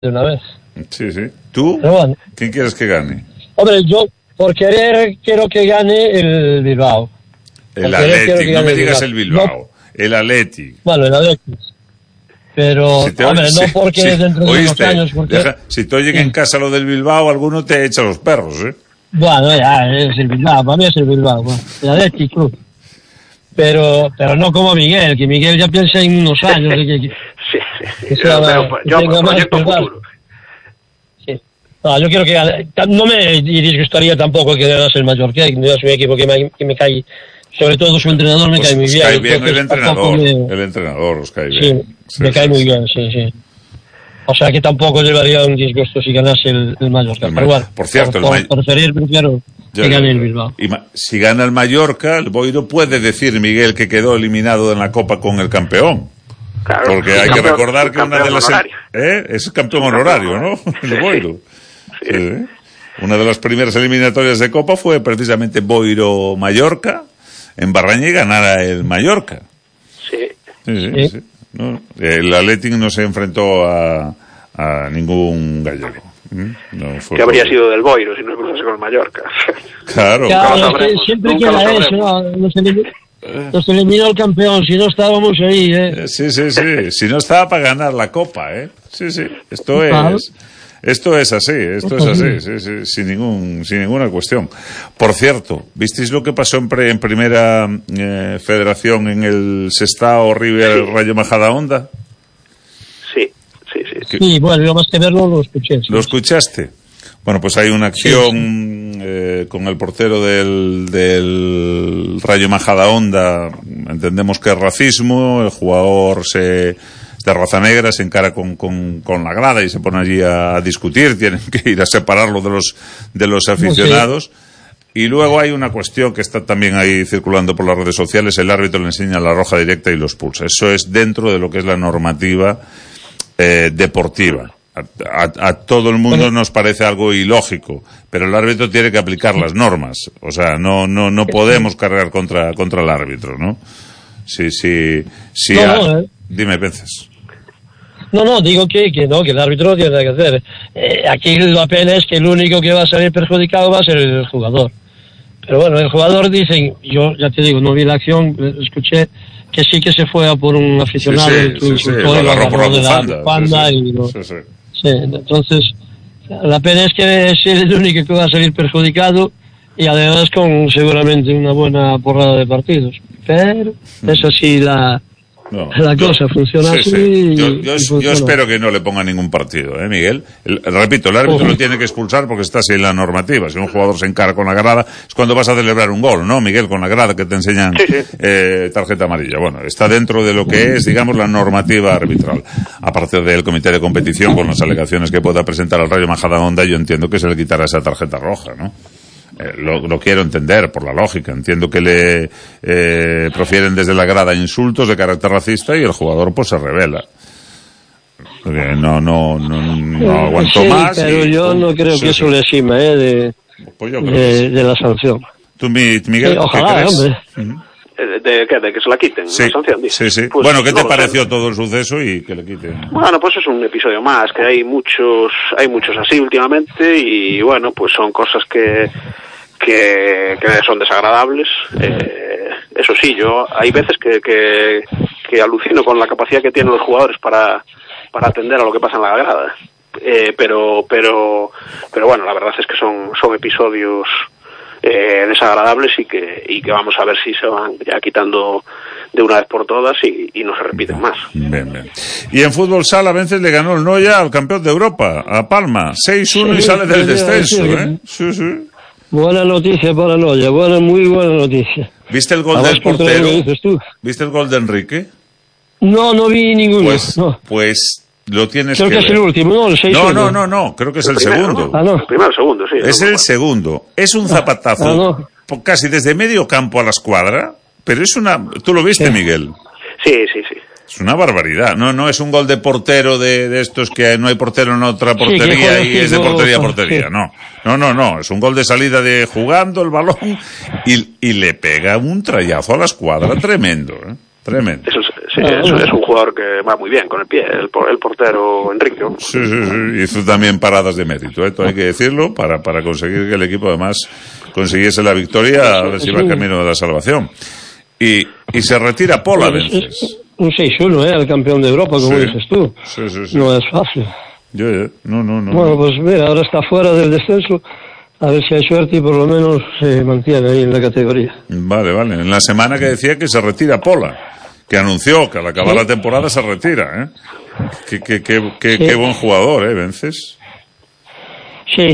de una vez. Sí, sí. ¿Tú? Pero bueno. ¿Quién quieres que gane? Hombre, yo por querer quiero que gane el Bilbao. El Athletic, no me digas el Bilbao. No. El Athletic. Bueno, el Athletic. Pero, si hombre, no porque dentro de unos años... Porque... si te oyen en casa lo del Bilbao, alguno te echa los perros, ¿eh? Bueno, ya, es el Bilbao, para mí es el Bilbao. Bueno, el Athletic Club. Pero no como Miguel, que Miguel ya piensa en unos años. Sí. Yo proyecto futuro. Sí. No, yo quiero que gane. No me disgustaría tampoco que ganase el Mallorca, que es un equipo que me cae, sobre todo su entrenador me cae muy bien. Cae bien el entrenador os cae bien. Sí, me cae muy bien, sí. O sea que tampoco llevaría un disgusto si ganase el Mallorca. Pero bueno, por cierto, prefiero que gane el Bilbao. Si gana el Mallorca, el Boiro puede decir, Miguel, que quedó eliminado en la Copa con el campeón. Claro, porque hay que recordar que una de las... es campeón honorario, ¿no? El Boiro. Sí. Una de las primeras eliminatorias de Copa fue precisamente Boiro-Mallorca, en Barraña, y ganara el Mallorca. Sí. ¿No? El Athletic no se enfrentó a ningún gallego. Que habría sido del Boiro si no cruzase con el Mallorca. Claro. Siempre queda eso, ¿no? Nos eliminó el campeón, si no estábamos ahí, Sí. Si no estaba para ganar la Copa, Sí. Esto es así, sí, sin ninguna cuestión. Por cierto, ¿visteis lo que pasó en primera federación en el Sestao River Rayo Majadahonda? Sí. Sí, bueno, yo más que verlo lo escuché. Sí. ¿Lo escuchaste? Bueno, pues hay una acción con el portero del Rayo Majadahonda, entendemos que es racismo, el jugador de raza negra se encara con la grada y se pone allí a discutir, tienen que ir a separarlo de los aficionados. Y luego hay una cuestión que está también ahí circulando por las redes sociales, el árbitro le enseña la roja directa y lo expulsa. Eso es dentro de lo que es la normativa deportiva. A todo el mundo nos parece algo ilógico, pero el árbitro tiene que aplicar las normas. O sea, no podemos cargar contra el árbitro, ¿no? Dime, Vences. No, digo que el árbitro tiene que hacer. Aquí la pena es que el único que va a salir perjudicado va a ser el jugador. Pero bueno, el jugador dicen, yo ya te digo, no vi la acción, escuché que sí que se fue a por un aficionado que insultó y lo agarró de la bufanda. Sí, entonces la pena es que es el único que va a salir perjudicado y además con seguramente una buena porrada de partidos. Pero es así la cosa funciona así. Yo espero que no le ponga ningún partido, Miguel. Repito, el árbitro lo tiene que expulsar porque está así en la normativa. Si un jugador se encara con la grada, es cuando vas a celebrar un gol, ¿no, Miguel? Con la grada que te enseñan tarjeta amarilla. Bueno, está dentro de lo que es, digamos, la normativa arbitral. Aparte del comité de competición, con las alegaciones que pueda presentar al Rayo Majadahonda, yo entiendo que se le quitará esa tarjeta roja, ¿no? Lo quiero entender por la lógica. Entiendo que le profieren desde la grada insultos de carácter racista y el jugador pues se revela. Porque no aguantó más. Pero yo no creo que eso le exima de la sanción. ¿Tú, Miguel, ojalá, hombre. ¿De que se la quiten? Sí, la sanción, sí. Pues, bueno, ¿qué te pareció todo el suceso y que le quiten? Bueno, pues es un episodio más, que hay muchos así últimamente y bueno, pues son cosas que son desagradables. Eso sí, yo hay veces que alucino con la capacidad que tienen los jugadores para atender a lo que pasa en la grada. Pero bueno, la verdad es que son episodios desagradables y que vamos a ver si se van ya quitando de una vez por todas y no se repiten más. Bien. Y en fútbol sala, a veces le ganó el Noya al campeón de Europa, a Palma, 6-1 y sale del descenso, Sí. Buena noticia para Noya, muy buena noticia. ¿Viste el gol del portero? ¿Viste el gol de Enrique? No vi ninguno. Pues lo tienes creo que ver. Es el último, ¿no? El 6-1. No, creo que es el segundo. ¿No? El primero, el segundo, sí. Es el segundo. Es un zapatazo casi desde medio campo a la escuadra, pero es ¿Tú lo viste, Miguel? Sí. Es una barbaridad. No es un gol de portero de estos que no hay portero en otra portería y es de portería a portería. Sí. No. Es un gol de salida de jugando el balón y le pega un trayazo a la escuadra tremendo, Tremendo. Sí, es un jugador que va muy bien con el pie, el portero Enrique. Sí, hizo también paradas de mérito, esto hay que decirlo, para conseguir que el equipo además consiguiese la victoria, a ver si va camino de la salvación. Y se retira Pola, Vences. Un 6-1, el campeón de Europa, como dices tú. Sí. No es fácil. No. Bueno, pues mira, ahora está fuera del descenso. A ver si hay suerte y por lo menos se mantiene ahí en la categoría. Vale. En la semana que decía que se retira Pola, que anunció que al acabar la temporada se retira, ¿eh? Qué buen jugador, Vences. Sí.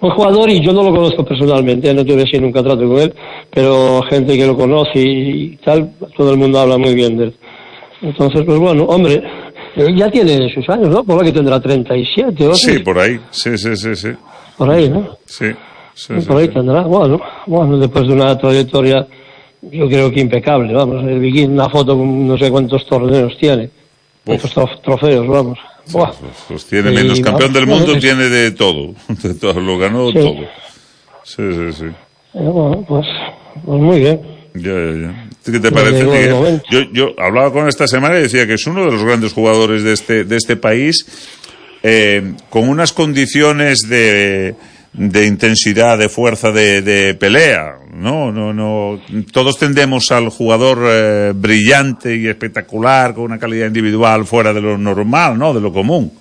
Un jugador, y yo no lo conozco personalmente, no tuve así nunca trato con él, pero gente que lo conoce y tal, todo el mundo habla muy bien de él. Entonces, pues bueno, hombre, ya tiene sus años, ¿no? Por lo que tendrá 37 o sí, por ahí, sí. Por ahí, ¿no? Sí. Por ahí tendrá, bueno, después de una trayectoria, yo creo que impecable, vamos. El Viking, una foto con no sé cuántos torneos tiene, cuántos trofeos, vamos. Pues tiene menos campeón del mundo, tiene de todo, lo ganó todo. Sí. Bueno, pues muy bien. Ya. ¿Qué te parece? Yo hablaba con esta semana y decía que es uno de los grandes jugadores de este país, con unas condiciones de intensidad, de fuerza, de pelea. No. Todos tendemos al jugador brillante y espectacular, con una calidad individual fuera de lo normal, ¿no? De lo común.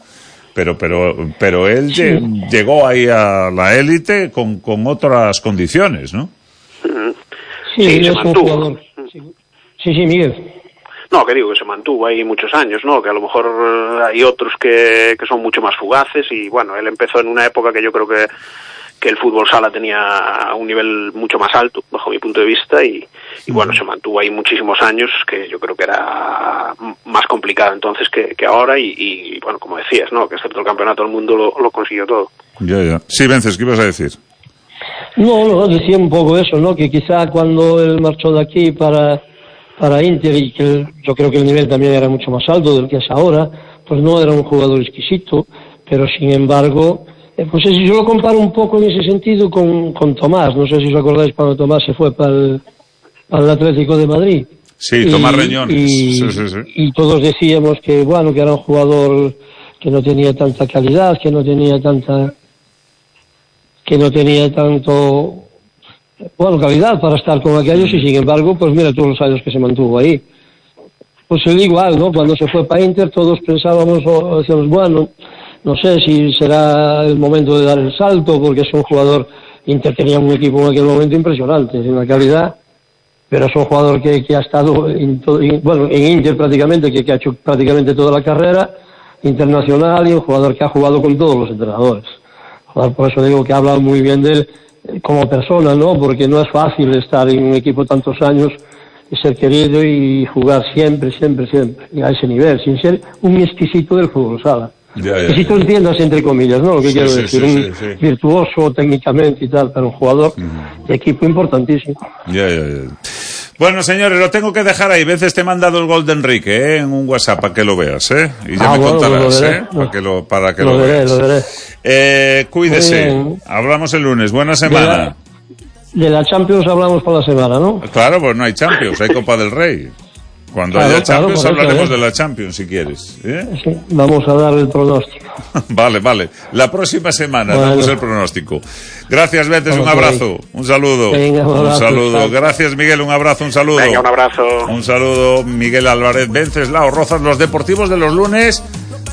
Pero él llegó ahí a la élite con otras condiciones, ¿no? Sí, es un jugador. Sí, Miguel. No, que digo que se mantuvo ahí muchos años, ¿no? Que a lo mejor hay otros que son mucho más fugaces y bueno, él empezó en una época que yo creo que el fútbol sala tenía un nivel mucho más alto, bajo mi punto de vista, y bueno, se mantuvo ahí muchísimos años, que yo creo que era más complicado entonces que ahora, y bueno, como decías, ¿no? Que excepto el campeonato del mundo lo consiguió todo. Ya. Sí, Vences, ¿qué ibas a decir? No, decía un poco eso, ¿no? Que quizá cuando él marchó de aquí para Inter, y que yo creo que el nivel también era mucho más alto del que es ahora, pues no era un jugador exquisito, pero sin embargo, pues yo lo comparo un poco en ese sentido con Tomás. No sé si os acordáis cuando Tomás se fue para el Atlético de Madrid. Sí, Tomás Reñones. Sí. Y todos decíamos que era un jugador que no tenía tanta calidad, que no tenía tanto calidad para estar con aquellos, y sin embargo, pues mira todos los años que se mantuvo ahí. Pues él igual, ¿no? Cuando se fue para Inter todos pensábamos, decíamos, bueno, no sé si será el momento de dar el salto, porque es un jugador, Inter tenía un equipo en aquel momento impresionante en la calidad, pero es un jugador que ha estado en Inter prácticamente, que ha hecho prácticamente toda la carrera internacional, y un jugador que ha jugado con todos los entrenadores. Por eso digo que habla muy bien de él como persona, ¿no? Porque no es fácil estar en un equipo tantos años y ser querido y jugar siempre, y a ese nivel, sin ser un exquisito del fútbol sala. Exquisito, entiendas entre comillas, ¿no? Lo que quiero decir, un virtuoso técnicamente y tal, pero un jugador de equipo importantísimo. Ya. Bueno, señores, lo tengo que dejar ahí. Veces te he mandado el gol de Enrique, en un WhatsApp para que lo veas, y ya me contarás, para que lo veas. Lo veré. Cuídese. Hablamos el lunes. Buena semana. De la Champions hablamos por la semana, ¿no? Claro, pues no hay Champions, hay Copa del Rey. Cuando haya Champions hablaremos de la Champions, si quieres. Sí, vamos a dar el pronóstico. Vale. La próxima semana damos el pronóstico. Gracias, Vences, un abrazo. Un saludo. Venga, un saludo. Gracias, Miguel, un abrazo, un saludo. Venga, un abrazo. Un saludo, Miguel Álvarez, Venceslao Rozas, los deportivos de los lunes,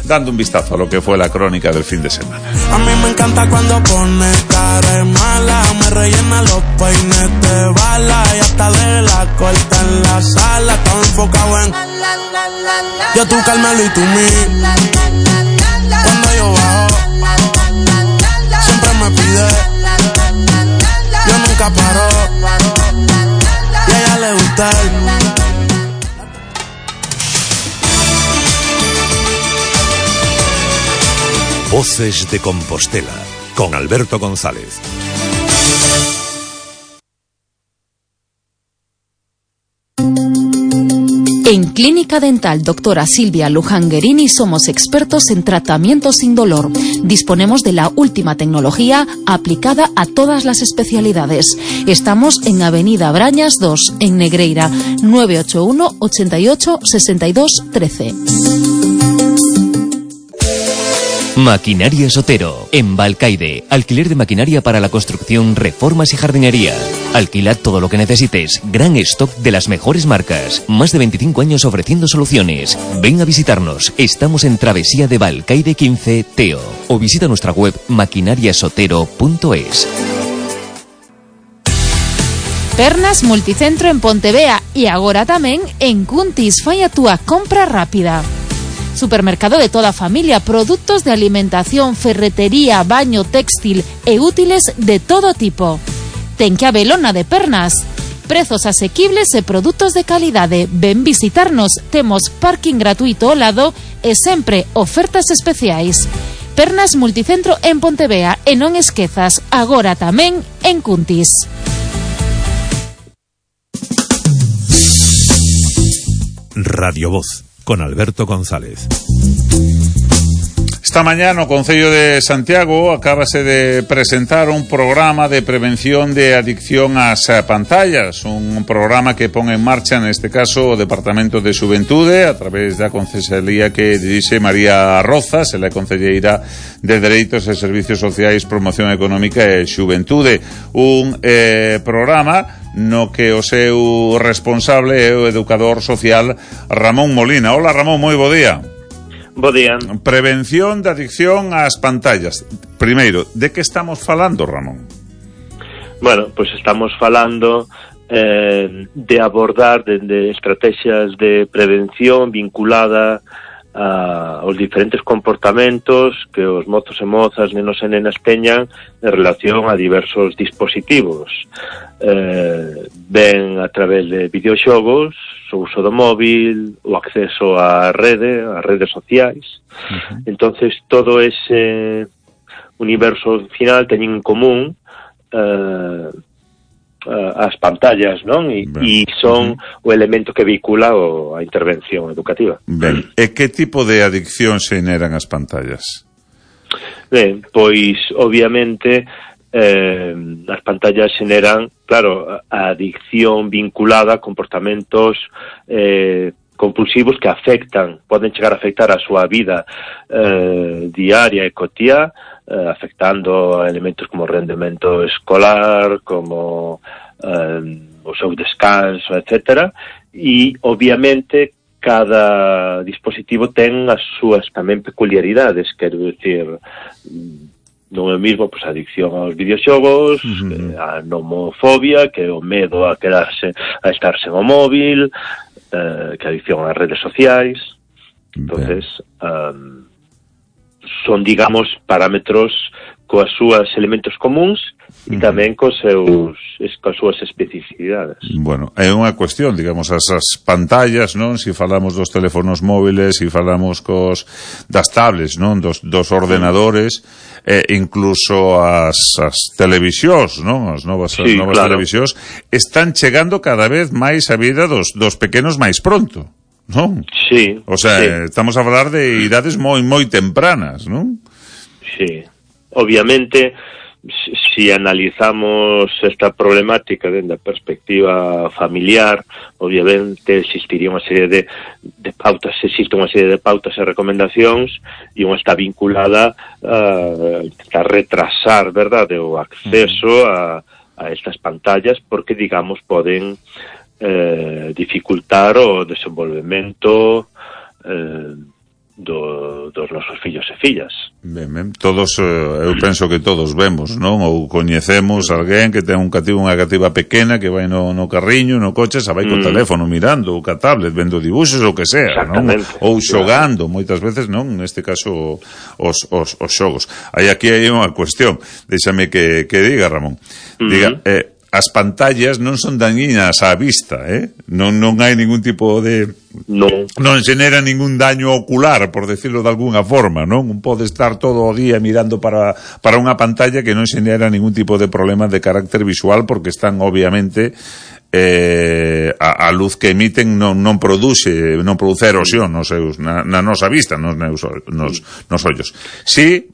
dando un vistazo a lo que fue la crónica del fin de semana. A mí me encanta cuando pone cara de mala, me rellena los peines de bala y hasta de la corta en la sala, todo enfocado en yo, tú, Carmelo y tú, mí. Cuando yo bajo, siempre me pide, yo nunca paro, y a ella le gusta Voces de Compostela, con Alberto González. En Clínica Dental Doctora Silvia Luján Guerini somos expertos en tratamiento sin dolor. Disponemos de la última tecnología aplicada a todas las especialidades. Estamos en Avenida Brañas 2, en Negreira, 981 88 62 13. Maquinaria Sotero, en Balcaide. Alquiler de maquinaria para la construcción, reformas y jardinería. Alquilad todo lo que necesites. Gran stock de las mejores marcas. Más de 25 años ofreciendo soluciones. Ven a visitarnos. Estamos en Travesía de Balcaide 15, Teo. O visita nuestra web maquinariasotero.es. Pernas Multicentro en Pontevea e agora tamén en Cuntis. Fai a túa compra rápida. Supermercado de toda familia, productos de alimentación, ferretería, baño, textil e útiles de todo tipo. Ten que habelona de Pernas. Prezos asequibles e produtos de calidade. Ven visitarnos, temos parking gratuito ao lado e sempre ofertas especiais. Pernas Multicentro en Pontevea e non esquezas, agora tamén en Cuntis. Radio Voz, con Alberto González. Esta mañana o Concello de Santiago acabase de presentar un programa de prevención de adicción ás pantallas, un programa que pon en marcha, neste caso, o Departamento de Xuventude a través da concesalía que dirixe María Rozas, ela é concelleira de Dereitos e Servicios Sociais, Promoción Económica e Xuventude, un programa no que o seu responsable é o educador social Ramón Molina. Hola Ramón, moi bo día. Bo día. Prevención de adicción ás pantallas. Primeiro, de que estamos falando, Ramón? Bueno, pois estamos falando de abordar de estrategias de prevención vinculada aos diferentes comportamentos que os mozos e mozas, nenos e nenas teñan en relación a diversos dispositivos. Ben a través de videoxogos, o uso do móvil, o acceso á redes sociais. Entonces todo ese universo final teñen en común as pantallas, non? E son o elemento que vehicula a intervención educativa. Ben, e que tipo de adicción se generan as pantallas? Ben, pois obviamente as pantallas generan, claro, a adicción vinculada a comportamentos compulsivos que poden chegar a afectar a súa vida diaria e cotiá, afectando a elementos como o rendemento escolar, como o seu descanso, etc. E, obviamente, cada dispositivo ten as súas tamén peculiaridades, quero dicir, non é o mesmo a adicción aos videoxogos, a nomofobia, que é o medo a estar sen o móvil, que a adicción ás redes sociais. Entonces, son, digamos, parámetros coas súas elementos comuns e tamén coas súas especificidades. Bueno, é unha cuestión, digamos, as pantallas, non? Se falamos dos teléfonos móviles, se falamos das tablets, non? Dos ordenadores, incluso as televisións, non? As novas claro. Televisións están chegando cada vez máis a vida dos pequenos máis pronto, non? Sí. O sea, sí. Estamos a falar de idades moi tempranas, non? Sí. Obviamente, si analizamos esta problemática dende a perspectiva familiar, obviamente existiría unha serie de pautas, existe unha serie de pautas e recomendacións, e unha está vinculada a retrasar, verdade, o acceso a estas pantallas, porque, digamos, poden dificultar o desenvolvemento dos nosos fillos e fillas. Ben. Todos, eu penso que todos vemos, non? Ou coñecemos alguén que ten unha cativa pequena que vai no carriño, no coche, xa vai co teléfono mirando, ou ca tablet, vendo dibuxos, ou que sea, non? Ou xogando, moitas veces, non? Neste caso, os xogos. Aquí hai unha cuestión, déxame que diga, Ramón. Diga, as pantallas non son dañinas á vista, non hai ningún tipo de... Non xenera ningún daño ocular, por decirlo de alguna forma, non? Pode estar todo o día mirando para unha pantalla que non xenera ningún tipo de problema de carácter visual, porque están, obviamente, a luz que emiten non produce erosión nos na nosa vista, nos ollos. Si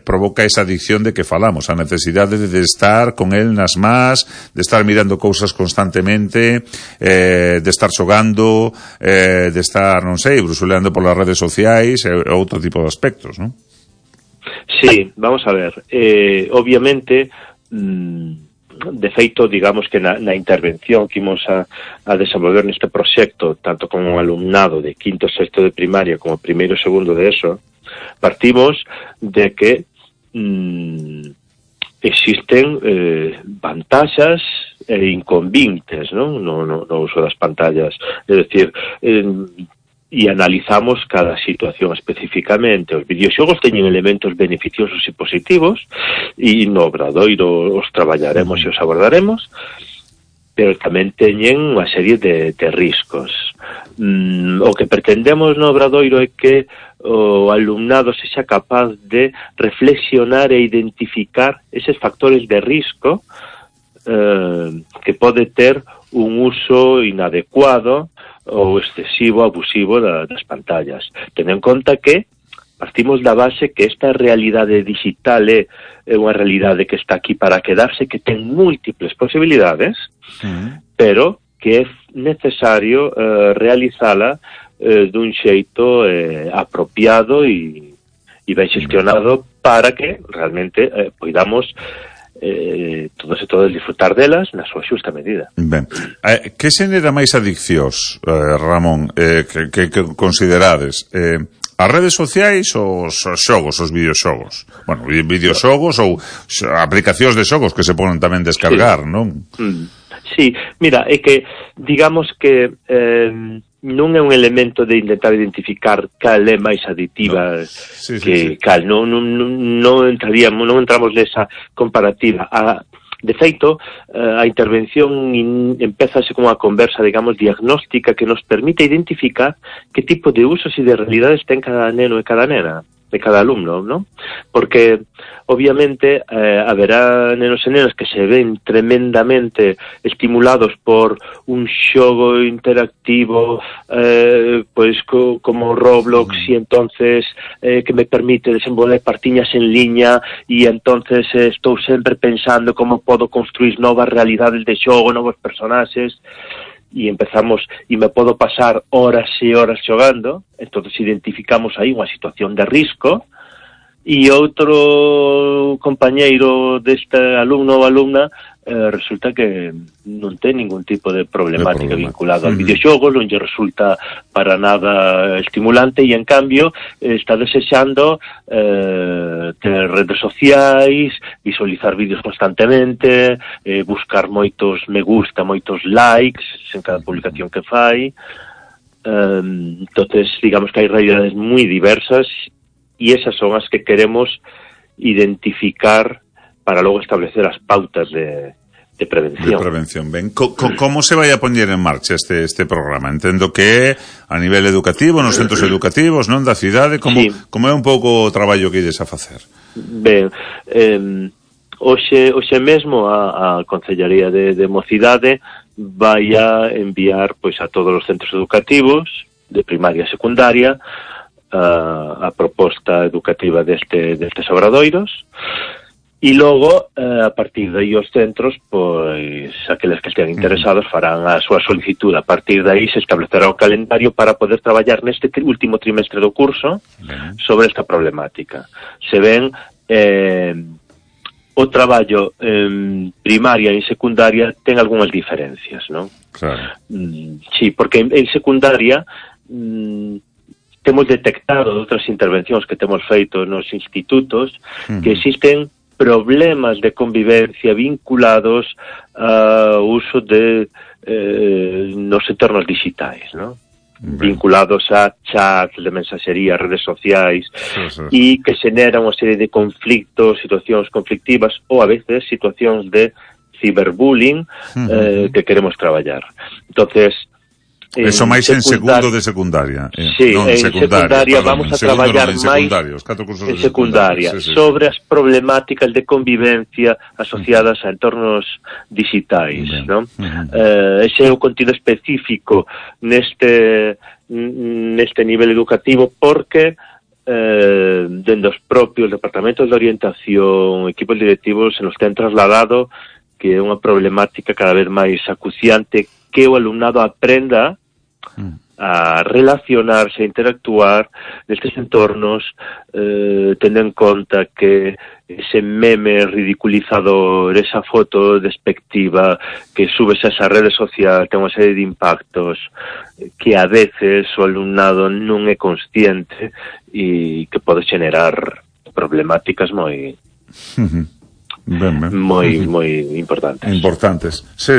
provoca esa adicción de que falamos, a necesidade de estar con el nas más, de estar mirando cousas constantemente, de estar xogando, de estar, non sei, brusuleando polas redes sociais e outro tipo de aspectos, non? Sí, vamos a ver. Obviamente, de feito, digamos que na intervención que imos a desenvolver neste proxecto, tanto con un alumnado de quinto e sexto de primaria como primeiro e segundo de ESO, partimos de que existen vantaxas e inconvenientes, non? No uso das pantallas. É dicir, e analizamos cada situación especificamente. Os videoxogos teñen elementos beneficiosos e positivos, e no obradoiro os traballaremos e os abordaremos, pero tamén teñen unha serie de riscos. O que pretendemos no obradoiro é que o alumnado sexa capaz de reflexionar e identificar eses factores de risco que pode ter un uso inadecuado ou excesivo, abusivo das pantallas. Ten en conta que partimos da base que esta realidade digital é unha realidade que está aquí para quedarse, que ten múltiples posibilidades, pero que é necesario realizala dun xeito apropiado e ben xestionado para que realmente poidamos todos disfrutar delas na súa xusta medida. Ben, que xenera máis adiccións, Ramón, que considerades? As redes sociais ou os xogos, os videoxogos? Bueno, videoxogos ou aplicacións de xogos que se ponen tamén descargar, non? Sí, mira, é que digamos que non é un elemento de intentar identificar cal é máis aditiva que cal, non entramos nesa comparativa. De feito, a intervención empezase como unha conversa, digamos, diagnóstica que nos permite identificar que tipo de usos e de realidades ten cada neno e cada nena, de cada alumno, ¿no? Porque obviamente haberá nenos e nenas que se ven tremendamente estimulados por un xogo interactivo pois como Roblox, e entonces que me permite desenvolver partiñas en liña, e entonces estou sempre pensando como podo construir novas realidades de xogo, novos personaxes, e empezamos, e me podo pasar horas e horas xogando. Entonces identificamos aí unha situación de risco, e outro compañeiro deste alumno ou alumna resulta que non ten ningún tipo de problemática vinculada ao videoxogo, non lle resulta para nada estimulante, e en cambio está desexando ter redes sociais, visualizar vídeos constantemente, buscar moitos me gusta, moitos likes en cada publicación que fai. Entonces, digamos que hai realidades moi diversas, e esas son as que queremos identificar para logo establecer as pautas de prevención. De prevención, ben. Como se vai a poñer en marcha este programa? Entendo que a nivel educativo, nos centros educativos, non, da cidade, como é un pouco o traballo que ides a facer? Ben, hoxe mesmo a Concellaría de Mocidade vai a enviar pois a todos os centros educativos de primaria e secundaria a proposta educativa destes obradoiros, e logo a partir de aí os centros, pois aqueles que estean interesados farán a súa solicitud. A partir de aí se establecerá o calendario para poder traballar neste último trimestre do curso sobre esta problemática. Se ven o traballo en primaria e en secundaria ten algunhas diferencias, non? Claro. Sí, porque en secundaria temos detectado de outras intervencións que temos feito nos institutos que existen problemas de convivencia vinculados ao uso de nos entornos digitais, ¿no? Vinculados a chats de mensaxería, redes sociais, e que xeneran unha serie de conflictos, situacións conflictivas, ou a veces situacións de ciberbullying que queremos traballar. Entonces, Eso máis en segundo de secundaria. Sí, en secundaria vamos a traballar máis en secundaria sobre as problemáticas de convivencia asociadas a entornos digitais, non? Ese é o contido específico neste nivel educativo, porque dende os propios departamentos de orientación, equipos directivos, se nos ten trasladado que é unha problemática cada vez máis acuciante, que o alumnado aprenda a relacionarse, a interactuar nestes entornos, tendo en conta que ese meme ridiculizador, esa foto despectiva que subes a esa rede social ten unha serie de impactos que a veces o alumnado non é consciente e que pode generar problemáticas moi importantes. Sí.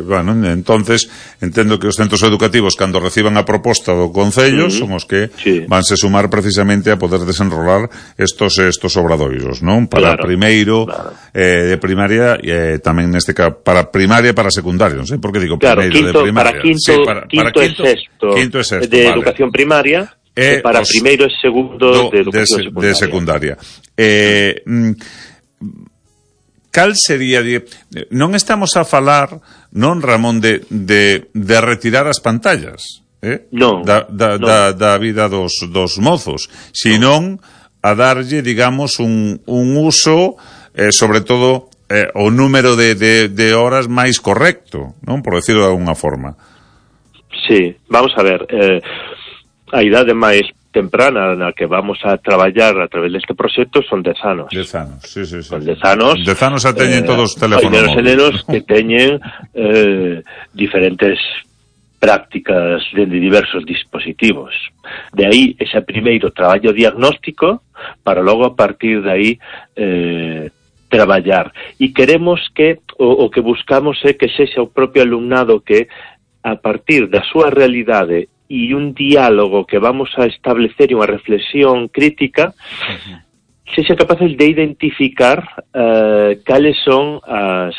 Bueno, entonces entendo que os centros educativos, cando reciban a proposta do Concello, son os que vanse sumar precisamente a poder desenrolar estos obradoiros, non? Para primeiro de primaria, tamén neste caso para primaria e para secundaria, non sei por que digo primeiro de primaria. Quinto e sexto de educación primaria, e para primeiro e segundo de educación secundaria. Cal sería non estamos a falar, non, Ramón, de retirar as pantallas, da vida dos mozos, senón a darlle, digamos, un uso, sobre todo o número de horas máis correcto, non, por decirlo de alguna forma. Sí, vamos a ver, a idade máis temprana na que vamos a traballar a través deste proxecto son 10 anos. 10 anos, sí. Son 10 anos. 10 anos a teñen todos os teléfonos móviles. Nenos que teñen diferentes prácticas de diversos dispositivos. De aí ese primeiro traballo diagnóstico para logo a partir de aí traballar. E queremos que o que buscamos é que sexa o propio alumnado que a partir da súa realidade e un diálogo que vamos a establecer e unha reflexión crítica, sexa capaces de identificar cales son as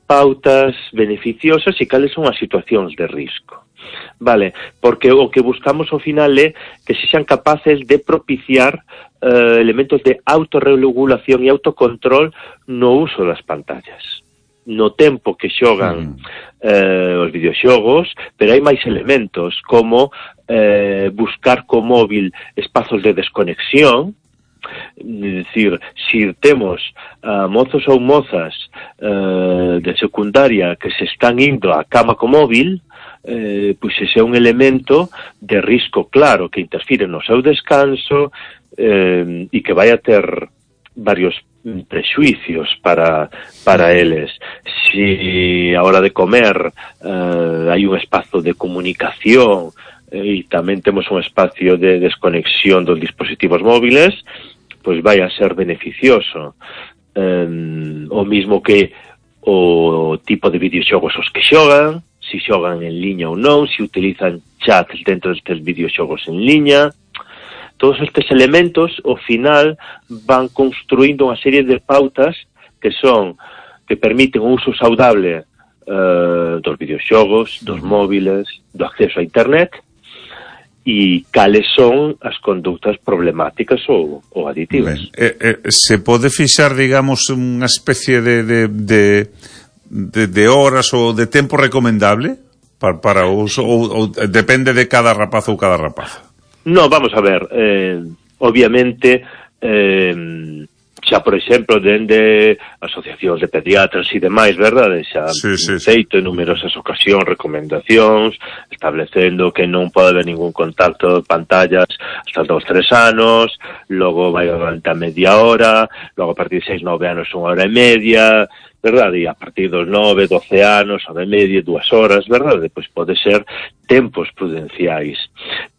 pautas beneficiosas e cales son as situacións de risco. Vale, porque o que buscamos ao final é que sexan capaces de propiciar elementos de autorregulación e autocontrol no uso das pantallas. No tempo que xogan os videoxogos, pero hai máis elementos como buscar co móvil espazos de desconexión. É dicir, se temos mozos ou mozas de secundaria que se están indo á cama co móvil, pois ese é un elemento de risco claro que interfire no seu descanso e que vai a ter varios prexuicios para eles. Si a hora de comer hai un espazo de comunicación e tamén temos un espacio de desconexión dos dispositivos móviles, pois vai a ser beneficioso. O mismo que o tipo de videoxogos os que xogan, si xogan en liña ou non, si utilizan chats dentro destes videoxogos en liña. Todos estes elementos, ao final, van construindo unha serie de pautas que permiten o uso saudable dos videoxogos, dos móviles, do acceso a internet, e cales son as conductas problemáticas ou aditivas. Se pode fixar, digamos, unha especie de horas ou de tempo recomendable para o uso, ou depende de cada rapaz ou cada rapaza? No, vamos a ver, obviamente, xa, por exemplo, dende asociacións de pediatras e demais, verdade? Xa feito en numerosas ocasións recomendacións, establecendo que non pode haber ningún contacto de pantallas hasta os 2-3 anos, logo vai a media hora, logo a partir de 6-9 anos 1 hora e media, verdade? E a partir dos 9-12 anos, hora e media, 2 horas, verdade? Pois pode ser tempos prudenciais.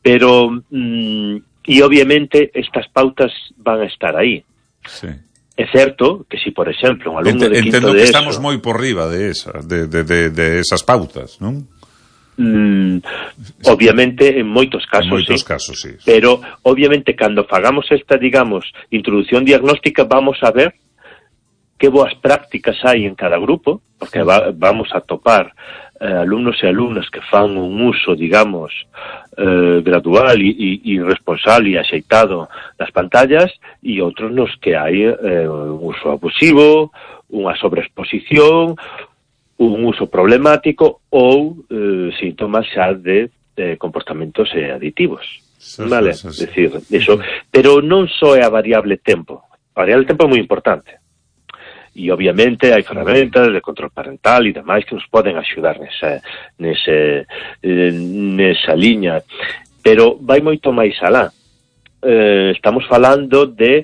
Pero, e obviamente, estas pautas van a estar aí. Sí. É certo que si, por exemplo, un alumno de quinto de ESO... Entendo que estamos moi por riba de esas pautas, non? Obviamente, en moitos casos, sí. Pero, obviamente, cando fagamos esta, digamos, introducción diagnóstica, vamos a ver que boas prácticas hai en cada grupo, porque vamos a topar alumnos e alumnas que fan un uso, digamos, gradual e responsable e axeitado das pantallas, e outros nos que hai un uso abusivo, unha sobreexposición, un uso problemático ou síntomas xa de comportamentos aditivos. Vale, decir, eso, pero non só é a variable tempo. A variable tempo é moi importante. E obviamente hai ferramentas de control parental e demais que nos poden axudar nesa liña, pero vai moito máis alá. Estamos falando de,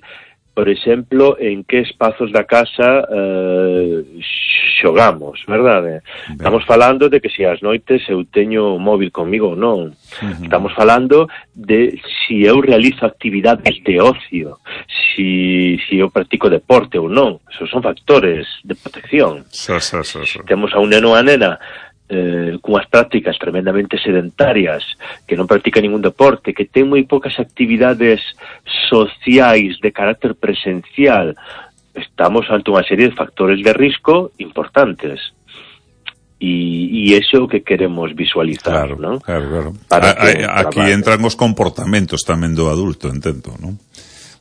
por exemplo, en que espazos da casa xogamos, verdade? Estamos falando de que se as noites eu teño o móvil comigo ou non. Estamos falando de se eu realizo actividades de ocio, se eu practico deporte ou non. Esos son factores de protección. Temos a un neno ou a nena cunhas prácticas tremendamente sedentarias, que non practica ningún deporte, que ten moi poucas actividades sociais de carácter presencial. Estamos ante unha serie de factores de risco importantes. E iso é o que queremos visualizar, non? Claro. Aquí entran os comportamentos tamén do adulto, entendo, non?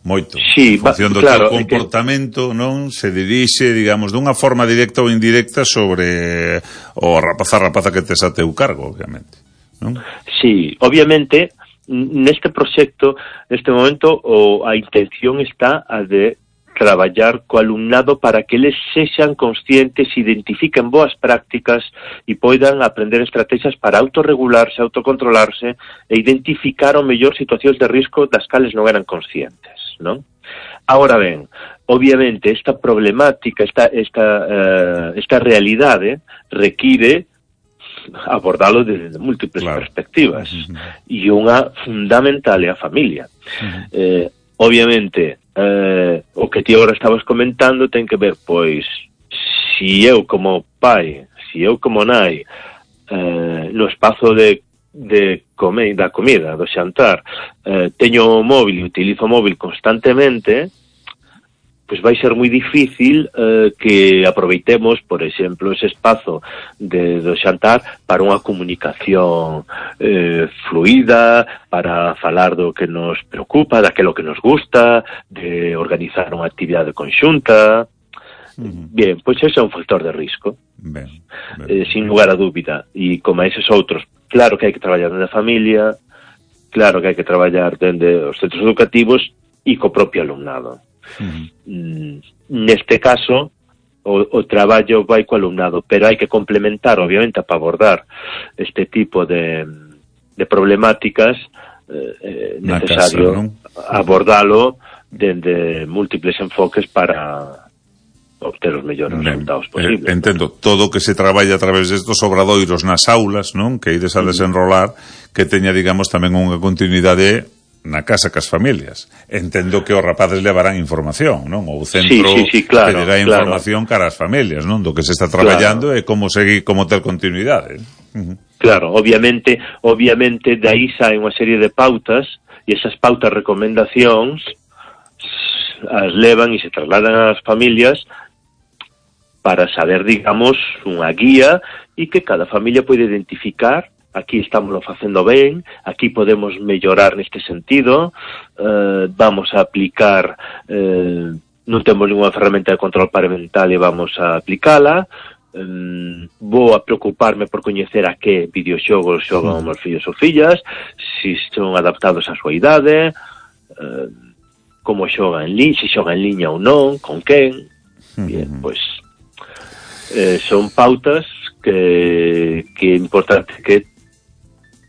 Moito. Sí, en función do teu comportamento, non se dirixe, digamos, dunha forma directa ou indirecta sobre o rapaza que tes a teu cargo, obviamente, non? Sí, obviamente, neste proxecto, neste momento, a intención está a de traballar co alumnado para que eles sexan conscientes, identifiquen boas prácticas e poidan aprender estrategias para autorregularse, autocontrolarse e identificar o mellor situacións de risco das cales non eran conscientes, non? Ahora ben, obviamente esta problemática, esta realidade require abordalo desde múltiples perspectivas, e unha fundamental é a familia. Obviamente, o que ti agora estabas comentando ten que ver, pois, si eu como pai, si eu como nai, no espazo da comida, do xantar, teño o móvil e utilizo o móvil constantemente, pois vai ser moi difícil que aproveitemos, por exemplo, ese espazo do xantar para unha comunicación fluida, para falar do que nos preocupa, daquilo que nos gusta, de organizar unha actividade conxunta. Bien, pois ese é un factor de risco, sin lugar a dúbida. E como a eses outros, claro que hai que traballar dende a familia, claro que hai que traballar dende os centros educativos e co propio alumnado. Neste caso o traballo vai co alumnado, pero hai que complementar, obviamente, para abordar este tipo de problemáticas, necesario abordalo dende múltiples enfoques para obter os mellores resultados posibles. Entendo, todo o que se traballa a través destos obradoiros nas aulas, non? Que ides a desenrolar, que teña, digamos, tamén unha continuidade na casa cas familias. Entendo que os rapaces levarán información, non? O centro pedirá información cara ás familias, non? Do que se está traballando e como seguir, como ter continuidade. Claro, obviamente de aí sae unha serie de pautas e esas pautas, recomendacións as levan e se trasladan ás familias para saber, digamos, unha guía e que cada familia pode identificar: aquí estamos facendo ben, aquí podemos mellorar neste sentido, vamos a aplicar, non temos ninguna ferramenta de control parental e vamos a aplicala, vou a preocuparme por coñecer a que videoxogos xogan os meus fillos ou fillas, se son adaptados á súa idade, como xogan en liña, se xogan en liña ou non, con quen. Bien, pois son pautas que é importante que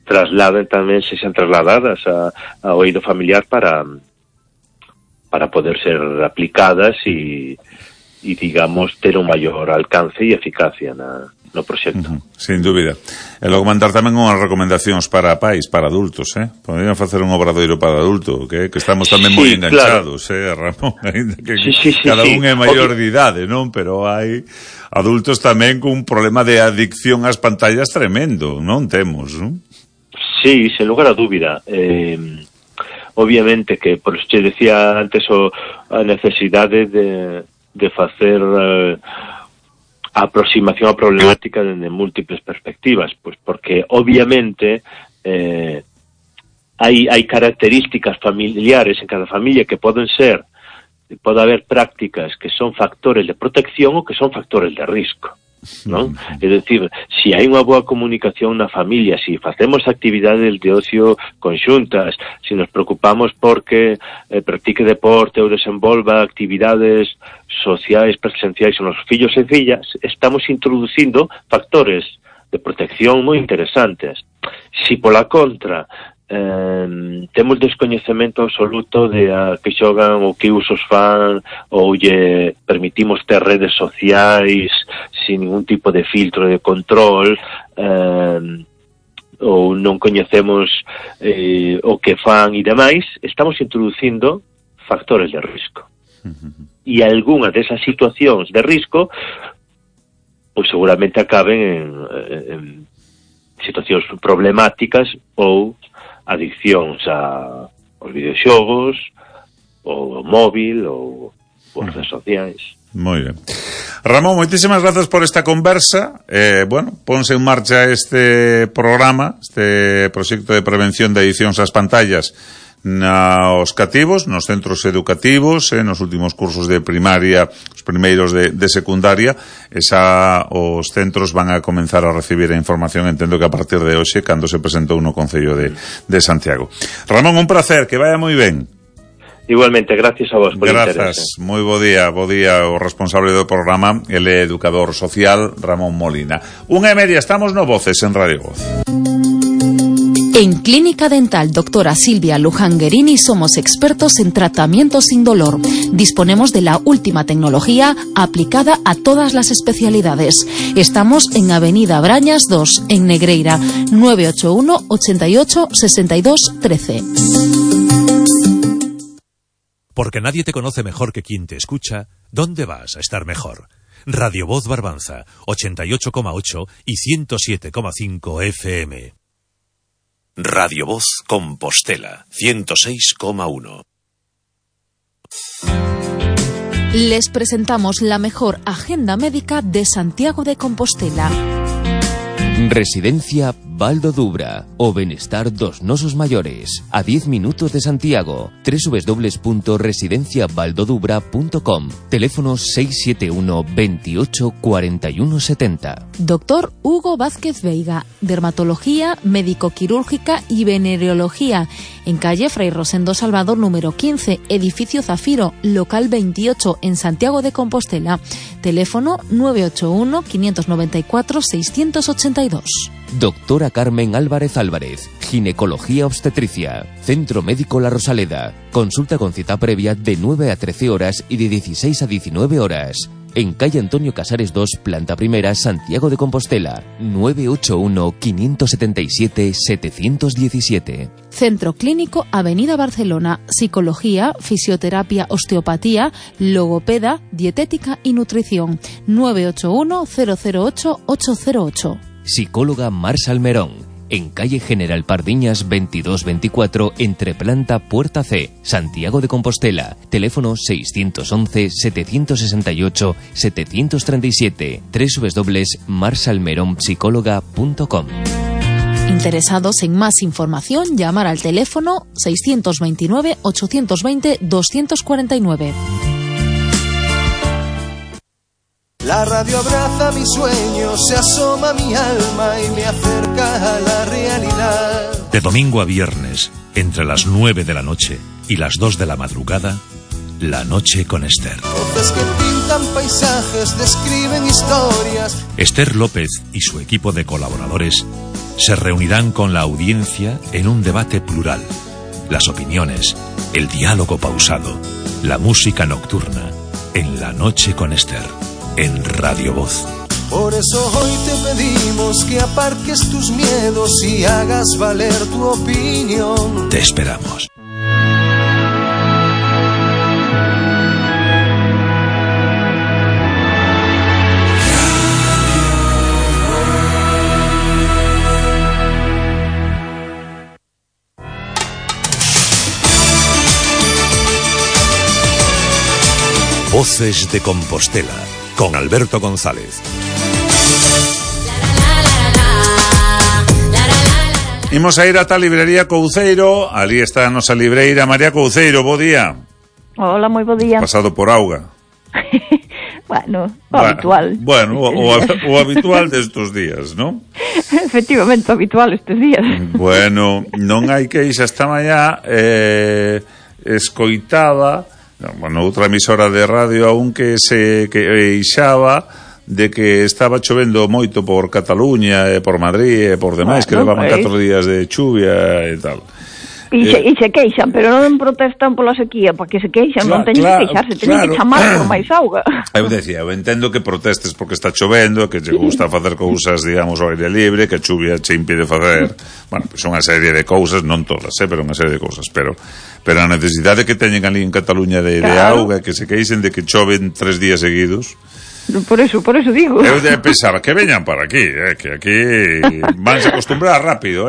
trasladen tamén, se sean trasladadas ao eido familiar para poder ser aplicadas e digamos, ter un maior alcance e eficacia no proxecto. Sin dúbida. E logo mandar tamén unhas recomendacións para pais, para adultos, Poderían facer un obradoiro para adulto, que estamos tamén moi enganchados, Ramón? Cada un é maior de idade, non? Pero hai adultos tamén con un problema de adicción ás pantallas tremendo, non temos, non? Sí, sen lugar a dúbida. Obviamente que, por eso te decía antes, a necesidade de facer a aproximación á problemática dende múltiples perspectivas, pois porque obviamente hai características familiares en cada familia que pode haber prácticas que son factores de protección ou que son factores de risco, non? É dicir, se hai unha boa comunicación na familia, se facemos actividades de ocio conxuntas, se nos preocupamos porque practique deporte ou desenvolva actividades sociais presenciais con os fillos e fillas, estamos introducindo factores de protección moi interesantes. Se pola contra temos descoñecemento absoluto de a que xogan ou que usos fan ou lle permitimos ter redes sociais sin ningún tipo de filtro de control, ou non coñecemos o que fan e demais, estamos introducindo factores de risco. E algunha desas situacións de risco pois seguramente acaben en situacións problemáticas ou adiccións aos videoxogos, ou ao móvil, ou as redes sociais. Moi ben. Ramón, moitísimas grazas por esta conversa. Bueno, ponse en marcha este programa, este proxecto de prevención de adiccións ás pantallas nos cativos, nos centros educativos, nos últimos cursos de primaria, os primeiros de secundaria. Os centros van a comenzar a recibir a información, entendo que a partir de hoxe, cando se presentou no Concello de Santiago. Ramón, un placer, que vaya moi ben. Igualmente, gracias a vos por interés. Grazas, moi bo día o responsable do programa, el educador social Ramón Molina. 1:30, estamos no Voces en Radio Voz. En Clínica Dental Doctora Silvia Luján Guerini somos expertos en tratamiento sin dolor. Disponemos de la última tecnología aplicada a todas las especialidades. Estamos en Avenida Brañas 2, en Negreira, 981 88 62 13. Porque nadie te conoce mejor que quien te escucha, ¿dónde vas a estar mejor? Radio Voz Barbanza, 88,8 y 107,5 FM. Radio Voz Compostela, 106,1. Les presentamos la mejor agenda médica de Santiago de Compostela. Residencia Valdo Dubra, o benestar dos nosos maiores, a 10 minutos de Santiago. www.residenciavaldodubra.com. Teléfono 671 28 41 70. Doctor Hugo Vázquez Veiga, dermatología, médico-quirúrgica y venereología, en calle Fray Rosendo Salvador número 15, edificio Zafiro, local 28, en Santiago de Compostela. Teléfono 981 594 682. Doctora Carmen Álvarez Álvarez, ginecología obstetricia, Centro Médico La Rosaleda. Consulta con cita previa de 9 a 13 horas y de 16 a 19 horas. En calle Antonio Casares 2, planta primera, Santiago de Compostela. 981 577 717. Centro Clínico Avenida Barcelona. Psicología, fisioterapia, osteopatía, logopeda, dietética y nutrición. 981 008 808. Psicóloga Mar Salmerón, en calle General Pardiñas 2224, entre planta Puerta C, Santiago de Compostela. Teléfono 611 768 737. www.marsalmeronpsicóloga.com. Interesados en más información, llamar al teléfono 629 820 249. La radio abraza mis sueños, se asoma a mi alma y me acerca a la realidad. De domingo a viernes, entre las 9 de la noche y las 2 de la madrugada, La Noche con Esther. Voces que pintan paisajes, describen historias. Esther López y su equipo de colaboradores se reunirán con la audiencia en un debate plural. Las opiniones, el diálogo pausado, la música nocturna, en La Noche con Esther. En Radio Voz. Por eso hoy te pedimos que aparques tus miedos y hagas valer tu opinión. Te esperamos. Voces de Compostela, con Alberto González. Imos a ir ata a librería Couceiro. Ali está a nosa libreira María Couceiro. Bo día. Hola, moi bo día. Pasado por auga. Bueno, habitual. Bueno, o habitual destos días, ¿no? Efectivamente, habitual estes días. Bueno, non hai queixa. Esta mañá escoitaba, bueno, outra emisora de radio aún que se queixaba de que estaba chovendo moito por Cataluña e por Madrid e por demais, que levaban 4 días de chuvia e tal. E se queixan, pero non protestan pola sequía, porque se queixan, non teñen que queixarse, teñen que chamar por máis auga. Eu decía, eu entendo que protestes porque está chovendo, que che gusta facer cousas, digamos, ao aire libre, que a chuvia che impide facer, bueno, pois unha serie de cousas, non todas, pero unha serie de cousas, pero a necesidade que teñen ali en Cataluña de auga, que se queixen de que choven 3 días seguidos. Por eso digo. Eu pensaba que veñan para aquí, que aquí vanse acostumbrar rápido,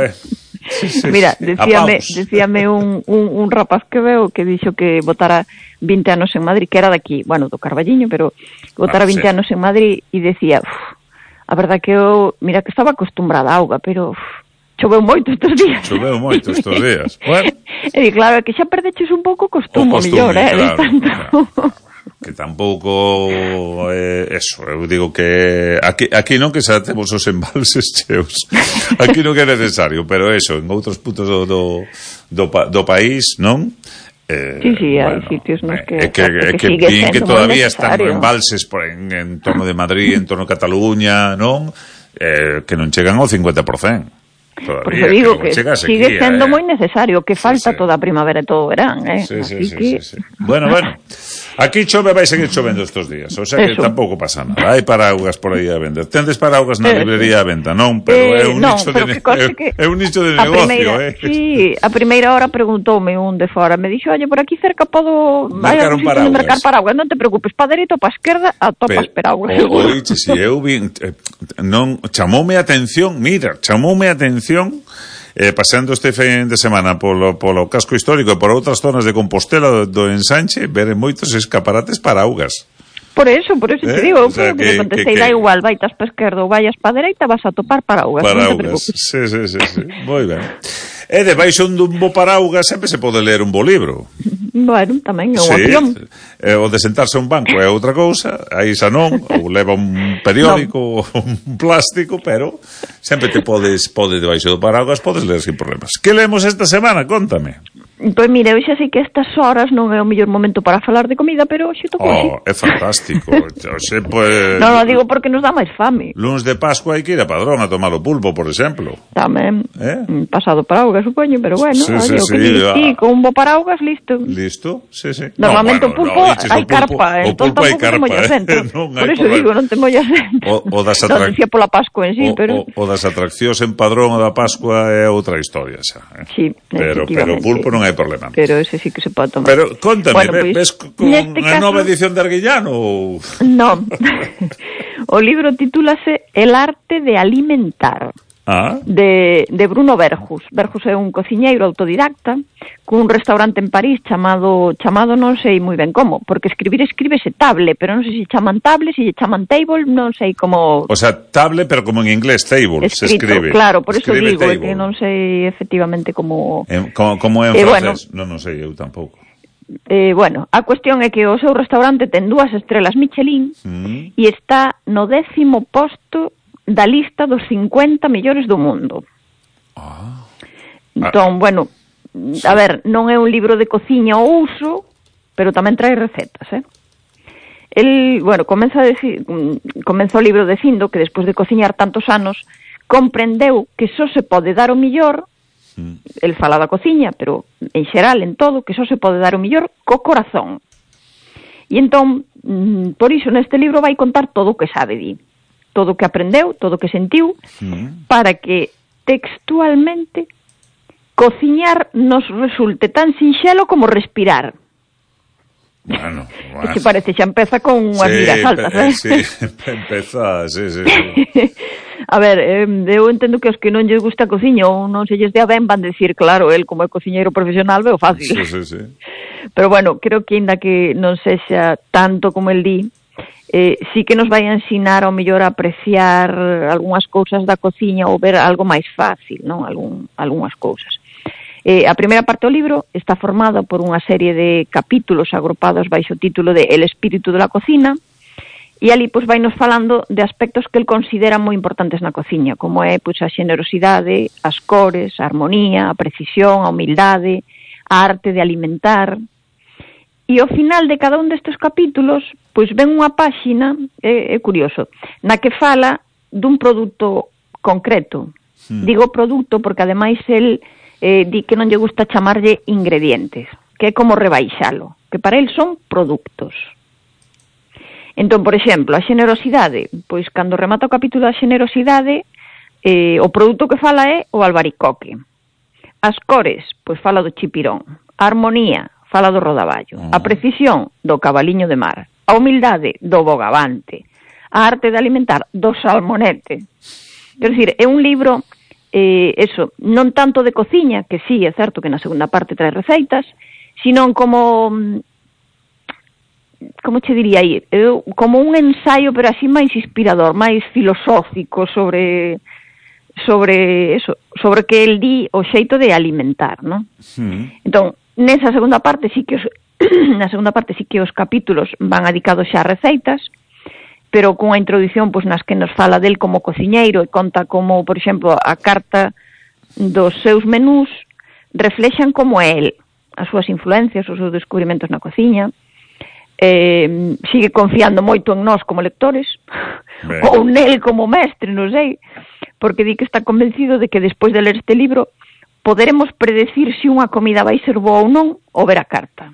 Sí. Mira, decíame un rapaz que veo que dixo que votara 20 anos en Madrid, que era daqui, bueno, do Carballiño, pero votara 20 anos en Madrid e decía, a verdad que eu, mira que estaba acostumbrada a auga, pero choveu moito estes días. Bueno. E claro, que xa perdeches un pouco o costume mellor, claro. Que tampouco eso, eu digo que aquí non, que xa temos os embalses cheos, aquí non é necesario, pero eso, en outros puntos do país, non? Sí, hai sitios nos que sigue sendo todavía están embalses en torno de Madrid, en torno a Cataluña, non? Que non chegan ao 50%. Todavía, por eso digo que sigue sendo moi necesario, que falta toda a primavera e todo o verán, Sí. Bueno, aquí chove, vai seguir chovendo estos días, o sea que tampouco pasa nada. Hai paraugas por aí a vender. Tendes paraugas na librería a venta, non? Pero é un nicho de negocio, Sí, a primeira hora preguntoume un de fora, me dixo, oye, por aquí cerca podo mercar paraugas, non te preocupes, pa dereita ou pa esquerda, atopas paraugas. Oiche, si eu vin, chamoume a atención, paseando este fin de semana polo casco histórico e por outras zonas de Compostela do ensanche, ver moitos escaparates paraugas. Por eso te digo, que te contestei, da igual, vaitas pa esquerda ou vayas pa dereita, vas a topar paraugas. Non te preocupes. Sí, moi ben. E debaixo dun bo paraugas sempre se pode ler un bo libro. Bueno, tamén é unha opción. O de sentarse a un banco é outra cousa, aí xa non, ou leva un periódico, un plástico, pero sempre te podes debaixo do paraugas, podes ler sin problemas. Que lemos esta semana? Contame. Pois mira, eu xa sei que estas horas non é o mellor momento para falar de comida, pero xe tocou así. É fantástico. Non, digo porque nos dá máis fame. Luns de Pascua hai que ir a Padrón a tomar o pulpo, por exemplo. Tamén, pasado paraugas, supoño, pero bueno, o que dixi, con un bo paraugas, listo. Sí. Normalmente o pulpo hai carpa, entón tampouco te mollas dentro. Por eso digo, non te mollas dentro. Non dicía pola Pascua en sí, pero... O das atraccións en Padrón o da Pascua é outra historia xa. Sí, pero o pulpo non hai problema. Pero ese sí que se pode tomar. Pero contame, ves con a nova edición de Arguillano ou... Non. O libro titúlase El arte de alimentar. De Bruno Verjus. Verjus é un cociñeiro autodidacta cun restaurante en París chamado non sei moi ben como, porque escríbese table, pero non sei se chaman table, se chaman table, non sei como... O sea, table, pero como en inglés, table, se escribe. Claro, por eso digo, que non sei efectivamente como... Como é en francés? Non sei, eu tampouco. Bueno, a cuestión é que o seu restaurante ten 2 estrelas Michelin e está no 10º posto da lista dos 50 mellores do mundo. Entón, bueno, a ver, non é un libro de cociña ao uso, pero tamén trae recetas, El, bueno, comeza o libro dicindo que despois de cociñar tantos anos comprendeu que só se pode dar o millor, el fala da cociña, pero en xeral, en todo, que só se pode dar o millor co corazón. E entón, por iso neste libro vai contar todo o que sabe todo o que aprendeu, todo o que sentiu, para que textualmente cociñar nos resulte tan sinxelo como respirar. Bueno. Que parece, xa empeza con unhas miras altas, Sí, empeza, sí. A ver, eu entendo que os que non lles gusta a cociña ou non se lles dea ben van decir, claro, el como é cociñeiro profesional veo fácil. Sí. Pero bueno, creo que ainda que non sexa tanto como el di, sí que nos vai a ensinar ao mellor a apreciar algunhas cousas da cociña ou ver algo máis fácil, non? Algunhas cousas. A primeira parte do libro está formada por unha serie de capítulos agrupados baixo o título de El espírito de la cocina, e ali pois vai nos falando de aspectos que el considera moi importantes na cociña, como é pois a xenerosidade, as cores, a armonía, a precisión, a humildade, a arte de alimentar. E ao final de cada un destes capítulos, pois ven unha páxina, é curioso, na que fala dun produto concreto. Digo produto porque ademais el di que non lle gusta chamarlle ingredientes, que é como rebaixalo, que para el son produtos. Entón, por exemplo, a xenerosidade, pois cando remata o capítulo da xenerosidade, o produto que fala é o albaricoque. As cores, pois fala do chipirón. A armonía, fala do rodaballo. A precisión, do cabaliño de mar. A humildade, do bogavante. A arte de alimentar, do salmonete. Quer dizer, é un libro, non tanto de cociña, que sí, é certo que na segunda parte trae receitas, sino como che diría aí? Como un ensaio, pero así máis inspirador, máis filosófico sobre que el di o xeito de alimentar, non? Entón, nesa segunda parte sí que os capítulos van dedicados xa a receitas, pero cunha introdución pois nas que nos fala del como cociñeiro e conta como, por exemplo, a carta dos seus menús reflexan como é el, as súas influencias, os seus descubrimentos na cociña. Sigue confiando moito en nós como lectores ou nel como mestre, non sei, porque di que está convencido de que despois de ler este libro poderemos predecir se unha comida vai ser boa ou non ou ver a carta.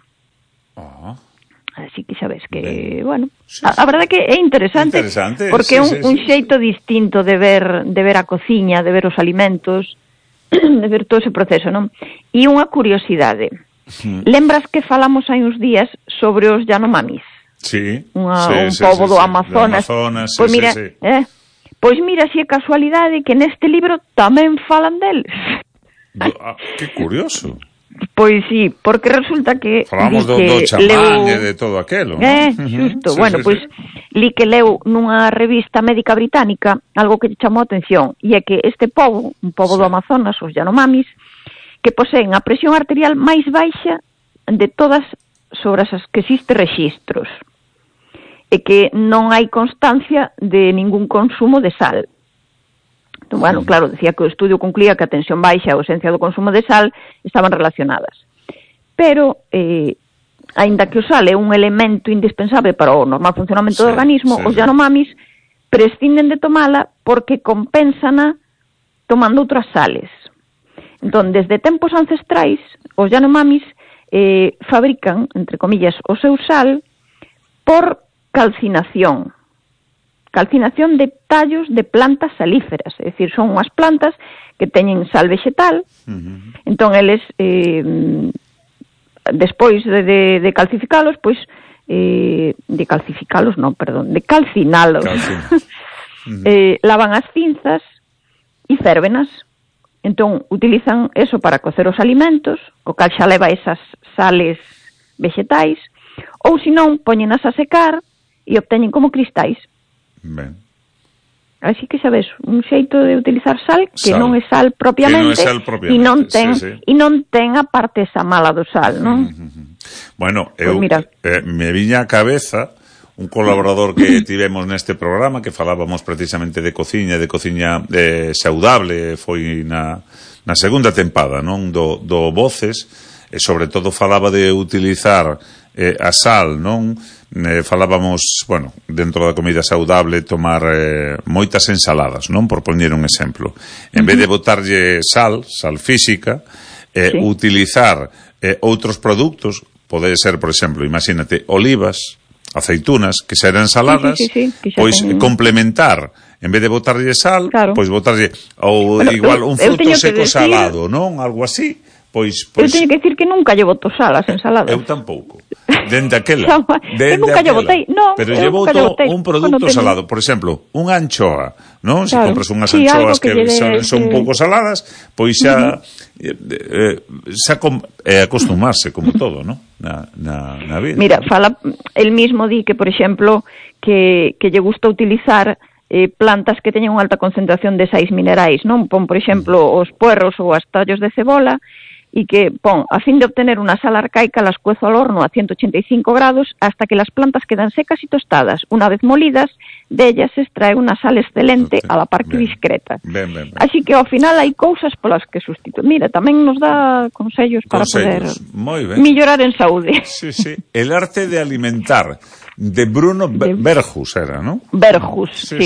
Así que xa ves que, bueno, a verdade que é interesante porque é un xeito distinto de ver a cociña, de ver os alimentos, de ver todo ese proceso, non? E unha curiosidade. Lembras que falamos hai uns días sobre os Yanomamis? Sí. Un pobo do Amazonas. Pois mira, pois mira se é casualidade que neste libro tamén falan deles. Que curioso. Pois sí, porque resulta que falamos do chamán e de todo aquelo, non? Xusto, bueno, pois li que leu nunha revista médica británica algo que lle chamou a atención, e é que este pobo, un pobo do Amazonas, os Yanomamis, que poseen a presión arterial máis baixa de todas sobre as que existe rexistros, e que non hai constancia de ningún consumo de sal. Entón, bueno, claro, decía que o estudio concluía que a tensión baixa e a ausencia do consumo de sal estaban relacionadas. Pero, aínda que o sal é un elemento indispensable para o normal funcionamento do organismo, os Yanomamis prescinden de tomala porque compénsana tomando outras sales. Entón, desde tempos ancestrais, os Yanomamis fabrican, entre comillas, o seu sal por calcinación. Calcinación de tallos de plantas salíferas, é dicir, son unhas plantas que teñen sal vegetal. Entón, eles, despois de calcificalos, pois, de calcinalos, lavan as cinzas e férvenas. Entón, utilizan eso para cocer os alimentos, co cal xa leva esas sales vegetais, ou senón, poñenas a secar e obteñen como cristais. Ben. Así que, sabes, un xeito de utilizar sal que non é sal propiamente, e non ten a parte esa mala do sal, non? Bueno, me viña a cabeza un colaborador que tivemos neste programa que falábamos precisamente de cociña saudable, foi na segunda tempada, non? Do Voces, e sobre todo falaba de utilizar a sal, non? Falábamos, bueno, dentro da comida saudable tomar moitas ensaladas, non? Por poñer un exemplo. En vez de botarlle sal física, utilizar outros produtos, pode ser, por exemplo, imagínate, olivas, aceitunas, que serán ensaladas, pois complementar, en vez de botarlle sal, pois botarlle ou igual un fruto seco salado, non? Algo así, Pois eu teño que dicir que nunca lle boto sal as ensaladas. Eu tampouco. Dende aquela. Eu nunca lle botei, non. Pero lle boto un produto salado. Por exemplo, unha anchoa, non? Se compras unhas anchoas que son un pouco saladas, pois xa acostumarse como todo, non? Na vida. Mira, fala, el mismo di que, por exemplo, que lle gusta utilizar plantas que teñen unha alta concentración de sais minerais, non? Pon, por exemplo, os puerros ou as tallos de cebola, y que, a fin de obtener una sal arcaica, las cuezo al horno a 185 grados hasta que las plantas quedan secas y tostadas. Una vez molidas, de ellas se extrae una sal excelente a la par que discreta. Así que ao final hai cousas polas que sustituir. Mira, tamén nos dá consellos para poder mellorar en saúde. Sí, sí. El arte de alimentar, de Bruno Verhus era, ¿no? Verhus, sí.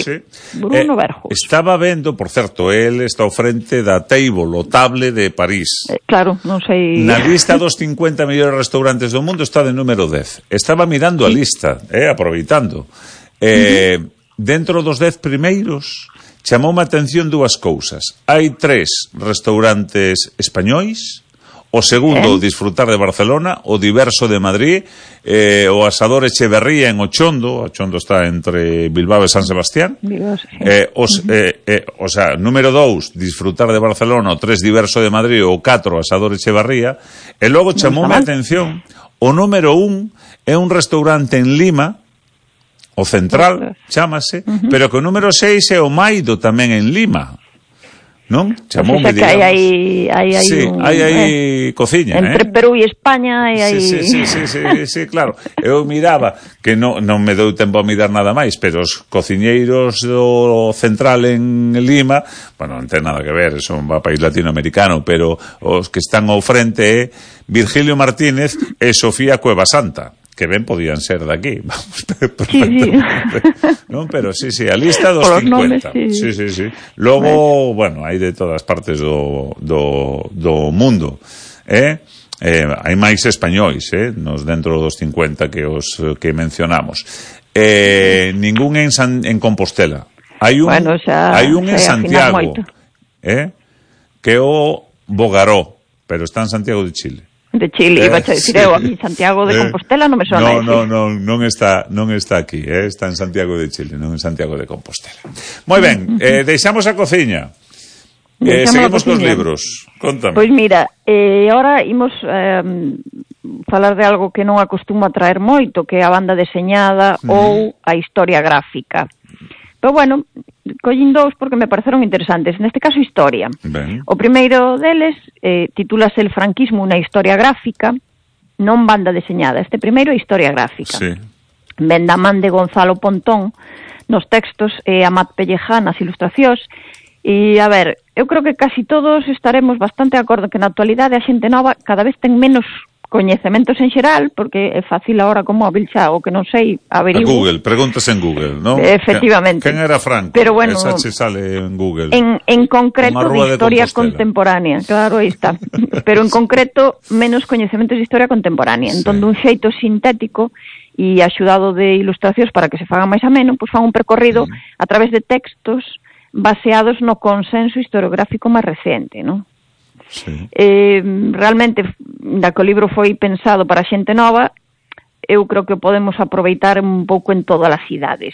Bruno Verhus. Estaba vendo, por certo, él está ao frente da Table, o Table de París. Claro, non sei. Na lista dos 50 mellores restaurantes do mundo está de número 10. Estaba mirando a lista, aproveitando. Dentro dos 10 primeiros, chamoume a atención dúas cousas. Hai 3 restaurantes españois. O segundo, Disfrutar de Barcelona, o Diverso de Madrid, o Asador Echeverría en Ochondo. Ochondo está entre Bilbao e San Sebastián. O sea, número 2, Disfrutar de Barcelona, o 3, Diverso de Madrid, o 4, Asador Echeverría. E logo chamoume a atención, o número 1 é un restaurante en Lima, o Central, chámase, pero que o número 6 é o Maido tamén en Lima. Non? Chamoume, digamos. Hai cociña, entre Perú e España hai... Sí, claro. Eu miraba, que non me dou tempo a mirar nada máis, pero os cociñeiros do Central en Lima, bueno, non ten nada que ver, son un país latinoamericano, pero os que están ao frente é Virgilio Martínez e Sofía Cueva Santa, que ben podían ser de aquí, vamos, non? Pero sí, a lista dos 50. Nomes, sí. Logo, bueno, hai de todas partes do mundo, hai máis españois, nos dentro dos 50 que mencionamos. Ningún en Compostela. Hai un en Santiago, que é o Bogaró, pero está en Santiago de Chile. De Chile, iba a decir eu, aquí Santiago de Compostela non me sona. Non está aquí, está en Santiago de Chile, non en Santiago de Compostela. Moi ben, deixamos a cociña. Seguimos cos libros. Contame. Pois mira, ahora imos falar de algo que non acostuma a traer moito, que é a banda deseñada ou a historia gráfica. Pero bueno, collín dous porque me pareceron interesantes. Neste caso, historia. Ben. O primeiro deles titúlase El franquismo, unha historia gráfica, non banda deseñada. Este primeiro é historia gráfica. Sí. Ben da man de Gonzalo Pontón nos textos e Amat Pellejá nas ilustracións. E, a ver, eu creo que casi todos estaremos bastante de acordo que na actualidade a xente nova cada vez ten menos coñecementos en xeral, porque é fácil ahora co móvil xa, o que non sei, averiguo. A Google, preguntas en Google, non? Efectivamente. Quen era Franco? Pero bueno, esa se sale en Google. En concreto de historia contemporánea, claro, aí está. Pero en concreto, menos coñecementos de historia contemporánea. Entón, dun xeito sintético e axudado de ilustracións para que se faga máis ameno, pois fan un percorrido a través de textos baseados no consenso historiográfico máis recente, non? Sí. Realmente, da que o libro foi pensado para xente nova, eu creo que podemos aproveitar un pouco en todas as idades.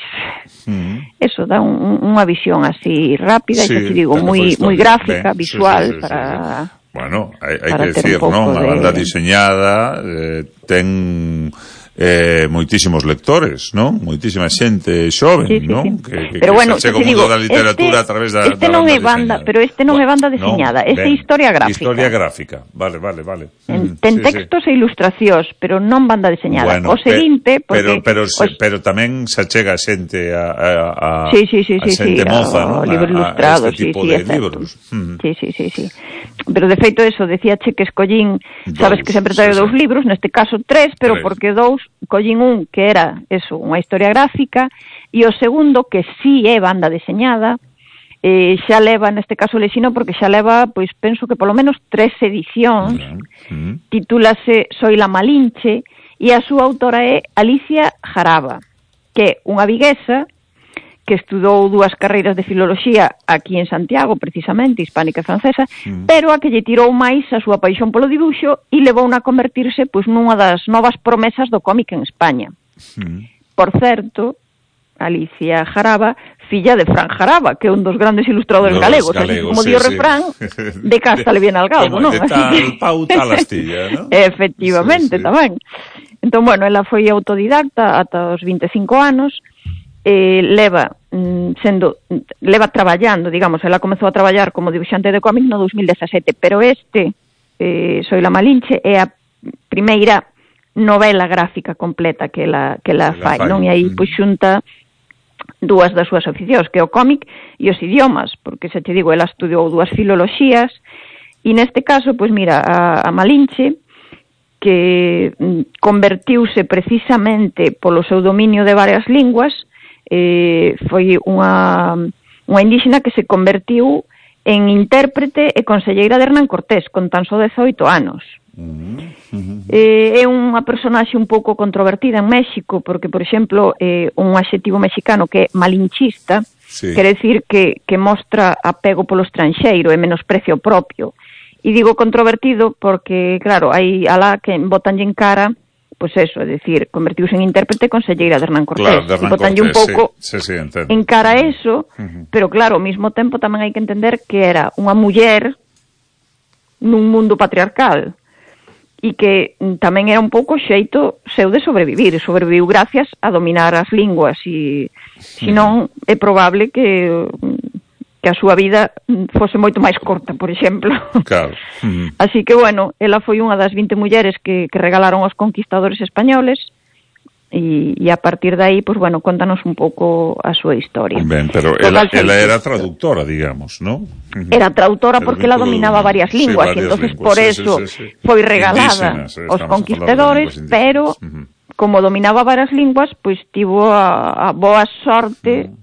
Eso dá unha visión así rápida, e xa te digo, moi gráfica, visual, para... Bueno, hai que decir, non? A banda diseñada ten... moitísimos lectores, non? Moitísima xente xoven, non? Que pero bueno, chega o mundo da literatura a través da non é banda, pero este non é banda deseñada, este é historia gráfica. Historia gráfica, vale. Ten textos e ilustracións, pero non banda deseñada. O seguinte, porque pero tamén se chega a xente a xente moza, non? Libros ilustrados, este tipo de libros. Sí. Pero de feito eso, decíache que escollín, sabes que sempre traio 2 libros, neste caso 3, pero porque 2 collín un que era eso, unha historia gráfica, e o segundo que sí é banda deseñada, xa leva, neste caso lexino, porque xa leva, pois penso que polo menos 3 edicións, titúlase Soy la Malinche, e a súa autora é Alicia Jaraba, que é unha viguesa que estudou 2 carreiras de filoloxía aquí en Santiago, precisamente, hispánica e francesa, pero a que lle tirou máis a súa paixón polo dibuixo e levou a convertirse pois nunha das novas promesas do cómic en España. Por certo, Alicia Jaraba, filla de Fran Jaraba, que é un dos grandes ilustradores galegos, así como dio refrán, de casta le viene al galgo, non? De tal pau, tal astilla, non? Efectivamente, tamén. Entón, bueno, ela foi autodidacta ata os 25 anos, leva traballando, digamos, ela comezou a traballar como dibuixante de cómic no 2017, pero Soy la Malinche é a primeira novela gráfica completa que ela fai, non? E aí, pois, xunta 2 das súas aficións, que é o cómic e os idiomas, porque, xa te digo, ela estudiou 2 filoloxías, e neste caso, pois mira, a Malinche, que convertiuse precisamente polo seu dominio de varias linguas, foi unha indígena que se convertiu en intérprete e conselleira de Hernán Cortés con tan só 18 anos. É unha personaxe un pouco controvertida en México porque, por exemplo, un adxetivo mexicano que é malinchista, quere decir que mostra apego polo estranxeiro e menosprecio propio. E digo controvertido porque, claro, hai alá que botanlle en cara, pois eso, é dicir, convertiuse en intérprete conselleira de Hernán Cortés. Claro, e botanlle un pouco en cara eso, pero claro, ao mesmo tempo tamén hai que entender que era unha muller nun mundo patriarcal e que tamén era un pouco xeito seu de sobrevivir. Sobreviviu gracias a dominar as linguas e, senón, é probable que a súa vida fose moito máis corta, por exemplo. Claro. Así que, bueno, ela foi unha das 20 mulleres que regalaron aos conquistadores españoles e a partir de aí, pues, bueno, contanos un pouco a súa historia. Ben, pero ela era traductora, digamos, ¿no? Era traductora porque ela dominaba varias linguas, e entonces por eso foi regalada aos conquistadores, pero como dominaba varias linguas, pois tivo a boa sorte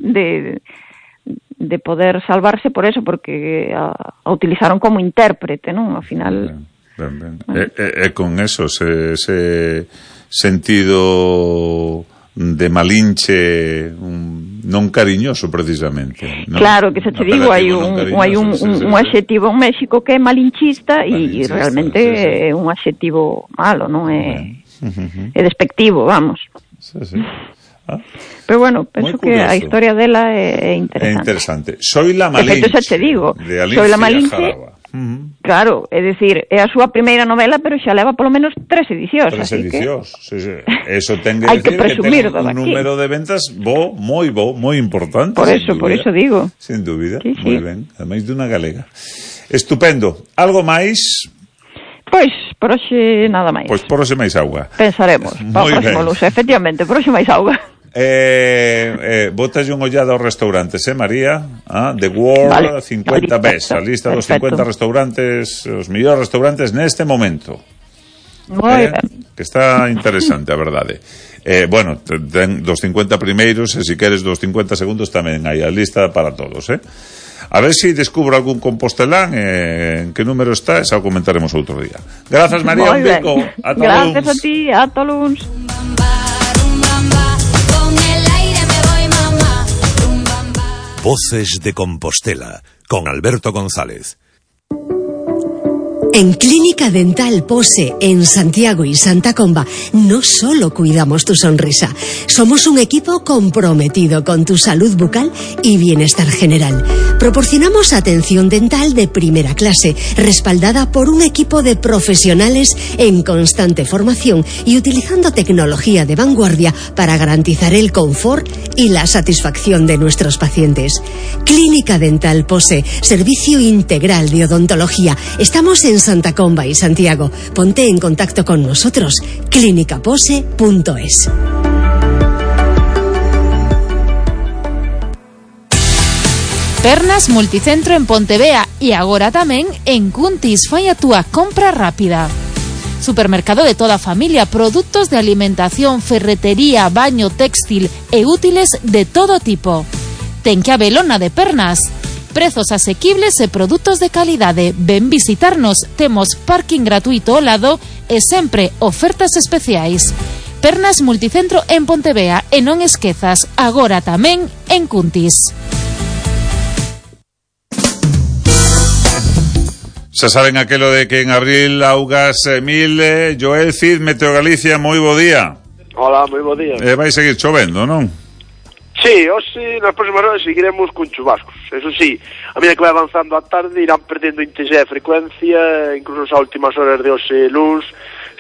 de poder salvarse por eso, porque a utilizaron como intérprete, non? Ao final... Ben. E con eso, ese sentido de Malinche non cariñoso, precisamente, ¿no? Claro, que xa te digo, hai un adxetivo en México que é malinchista e realmente é un adxetivo malo, non? É despectivo, vamos. Sí. Pero bueno, penso que a historia dela é interesante. É interesante. Soy la Malinche. De feito, xa te digo, Soy la Malinche. Claro, é dicir, é a súa primeira novela, pero xa leva polo menos 3 edicións. 3 edicións, sí. Eso ten que hai decir que presumir que ten un número de ventas moi importante. Por eso digo. Sin dúbida, sí. Moi ben, ademais dunha galega. Estupendo. Algo máis? Pois, por hoxe nada máis. Pois por hoxe máis auga. Pensaremos, para o próximo lunes, efectivamente, por hoxe máis auga. Botalle un ollada aos restaurantes, María? The World 50 Best, a lista dos 50 restaurantes, os mellores restaurantes neste momento. Moi ben. Que está interesante, a verdade. Bueno, dos 50 primeiros, e se queres dos 50 segundos tamén hai a lista para todos, A ver se descubro algún compostelán, en que número está, xa o comentaremos outro día. Grazas, María, un bico. Gracias a ti, ata luns. Voces de Compostela, con Alberto González. En Clínica Dental Pose, en Santiago y Santa Comba, no solo cuidamos tu sonrisa, somos un equipo comprometido con tu salud bucal y bienestar general. Proporcionamos atención dental de primera clase, respaldada por un equipo de profesionales en constante formación y utilizando tecnología de vanguardia para garantizar el confort y la satisfacción de nuestros pacientes. Clínica Dental Pose, servicio integral de odontología. Estamos en Santa Comba y Santiago. Ponte en contacto con nosotros. clinicapose.es. Pernas Multicentro en Pontevea e agora tamén en Cuntis. Fai a túa compra rápida. Supermercado de toda a familia, produtos de alimentación, ferretería, baño, textil e útiles de todo tipo. Ten que habelona de Pernas. Prezos asequibles e produtos de calidade. Ven visitarnos, temos parking gratuito ao lado e sempre ofertas especiais. Pernas Multicentro en Pontevea e non esquezas, agora tamén en Cuntis. Xa saben aquelo de que en abril augas 1000. Joel Cid, Meteo Galicia, moi bo día. Hola, moi bo día. Vai seguir chovendo, non? Sí, hoxe nas próximas horas seguiremos con chubascos. Eso sí, a medida que vai avanzando a tarde irán perdendo intensidade e frecuencia, incluso as últimas horas de hoxe luns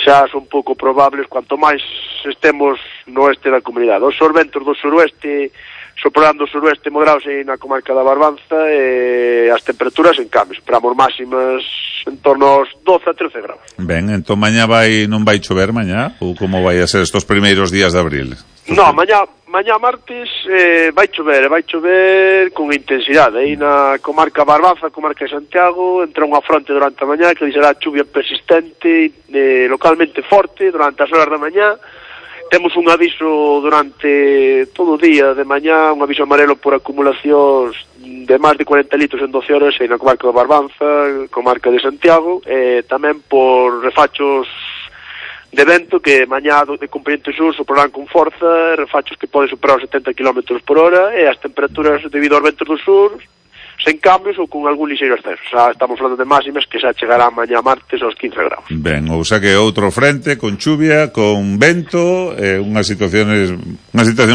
xa son pouco probables cuanto máis estemos no oeste da comunidade. Os ventos do suroeste soprando o suroeste moderados aí na comarca da Barbanza e as temperaturas en cambio. Esperamos máximas en torno aos 12 a 13 graus. Ben, entón mañá non vai chover mañá? Ou como vai a ser estos primeiros días de abril? No, mañá martes vai chover con intensidade. Aí na comarca Barbanza, comarca de Santiago, entra unha fronte durante a mañá que deixará chuvia persistente, localmente forte, durante as horas da mañá. Temos un aviso durante todo o día de mañá, un aviso amarelo por acumulacións de máis de 40 litros en 12 horas aí na comarca da Barbanza, comarca de Santiago, e tamén por refachos de vento que mañá de componente sur soprarán con forza, refachos que poden superar os 70 km por hora, e as temperaturas debido aos ventos do sur sen cambios ou con algún lixeiro ascenso. Xa estamos falando de máximas que xa chegará mañá martes aos 15 graus. Ben, ou xa que outro frente con chuvia, con vento, unha situación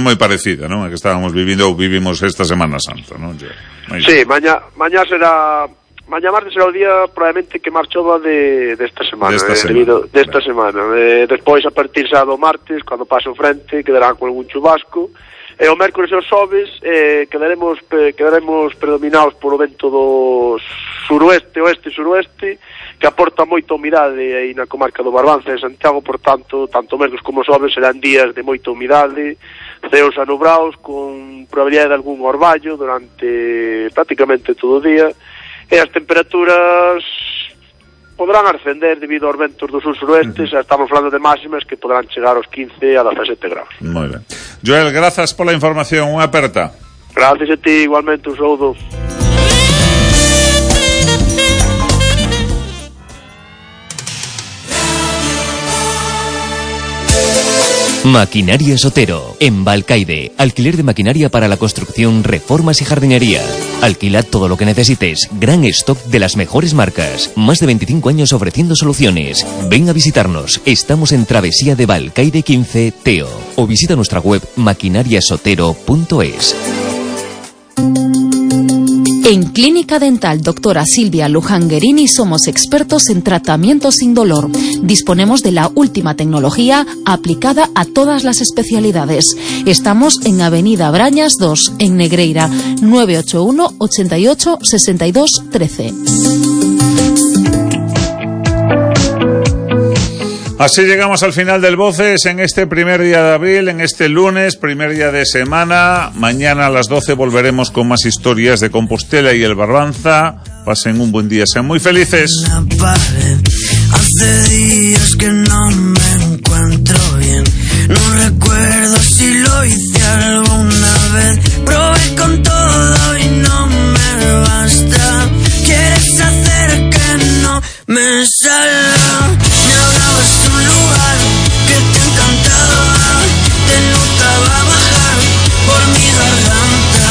moi parecida, non? A que estábamos vivindo ou vivimos esta Semana Santa, non? Sí, mañá martes será o día probablemente que máis chova desta semana. Desta semana. Despois, a partir xa do martes, cando pase o frente, quedará con algún chubasco. E o mércores e os xoves quedaremos predominados polo vento do oeste-suroeste, que aporta moita humidade aí na comarca do Barbanza e Santiago. Por tanto, tanto mércores como xoves serán días de moita humidade, ceos anubrados, con probabilidade de algún orballo durante prácticamente todo o día, e as temperaturas poderán ascender debido aos ventos do sur-suroeste. Xa estamos falando de máximas que poderán chegar aos 15 a 17 graus. Moi ben. Joel, grazas pola información, unha aperta. Gracias a ti, igualmente, un saúdo. Maquinaria Sotero, en Balcaide. Alquiler de maquinaria para la construcción, reformas y jardinería. Alquila todo lo que necesites. Gran stock de las mejores marcas. Más de 25 años ofreciendo soluciones. Ven a visitarnos. Estamos en Travesía de Balcaide 15, Teo. O visita nuestra web maquinariasotero.es. En Clínica Dental Doctora Silvia Lujanguerini somos expertos en tratamiento sin dolor. Disponemos de la última tecnología aplicada a todas las especialidades. Estamos en Avenida Brañas 2, en Negreira, 981 88 62 13. Así llegamos al final del Voces en este primer día de abril, en este lunes, primer día de semana. Mañana a las 12 volveremos con más historias de Compostela y el Barbanza. Pasen un buen día, sean muy felices. Hace días que no me encuentro bien. No recuerdo si lo hice alguna vez. Probé con todo y no me basta. Quieres hacer que no me salga. Me hablabas de un lugar que te encantaba. Te notaba bajar por mi garganta.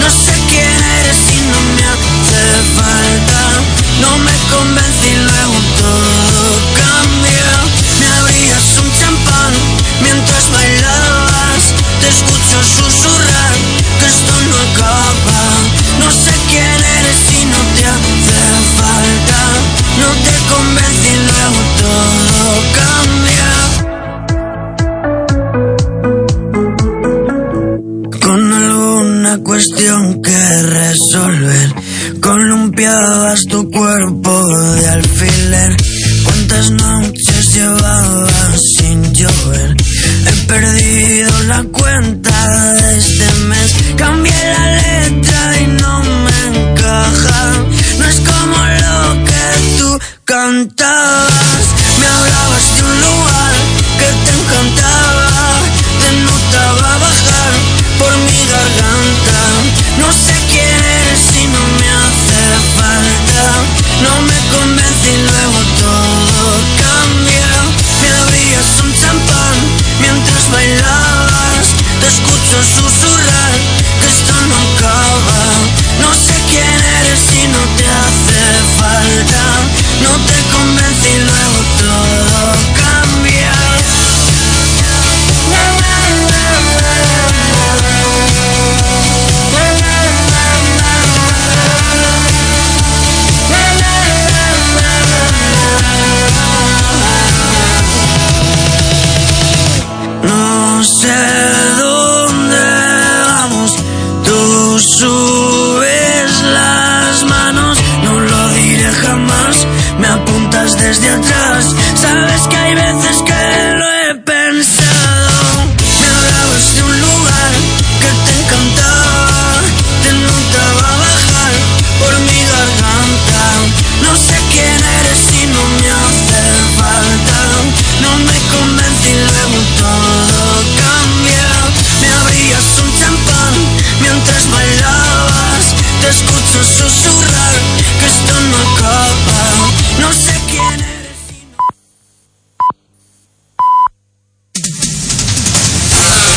No sé quién eres y no me hace falta. No me convence y luego todo cambia. Me abrías un champán mientras bailabas. Te escucho susurrar que esto no acaba. No sé quién eres y no te hace falta. No te convence y luego todo cambia. Con alguna cuestión que resolver, columpiabas tu cuerpo de alfiler. ¿Cuántas noches llevabas sin llover? He perdido la cuenta de este mes. Cambié la letra y no me encaja. No es como lo que tú cantabas. Me hablabas de un lugar que te encantaba. Te notaba bajar por mi garganta. No sé quién eres y no me hace falta. No me convence y luego todo cambia. Me abrías un champán mientras su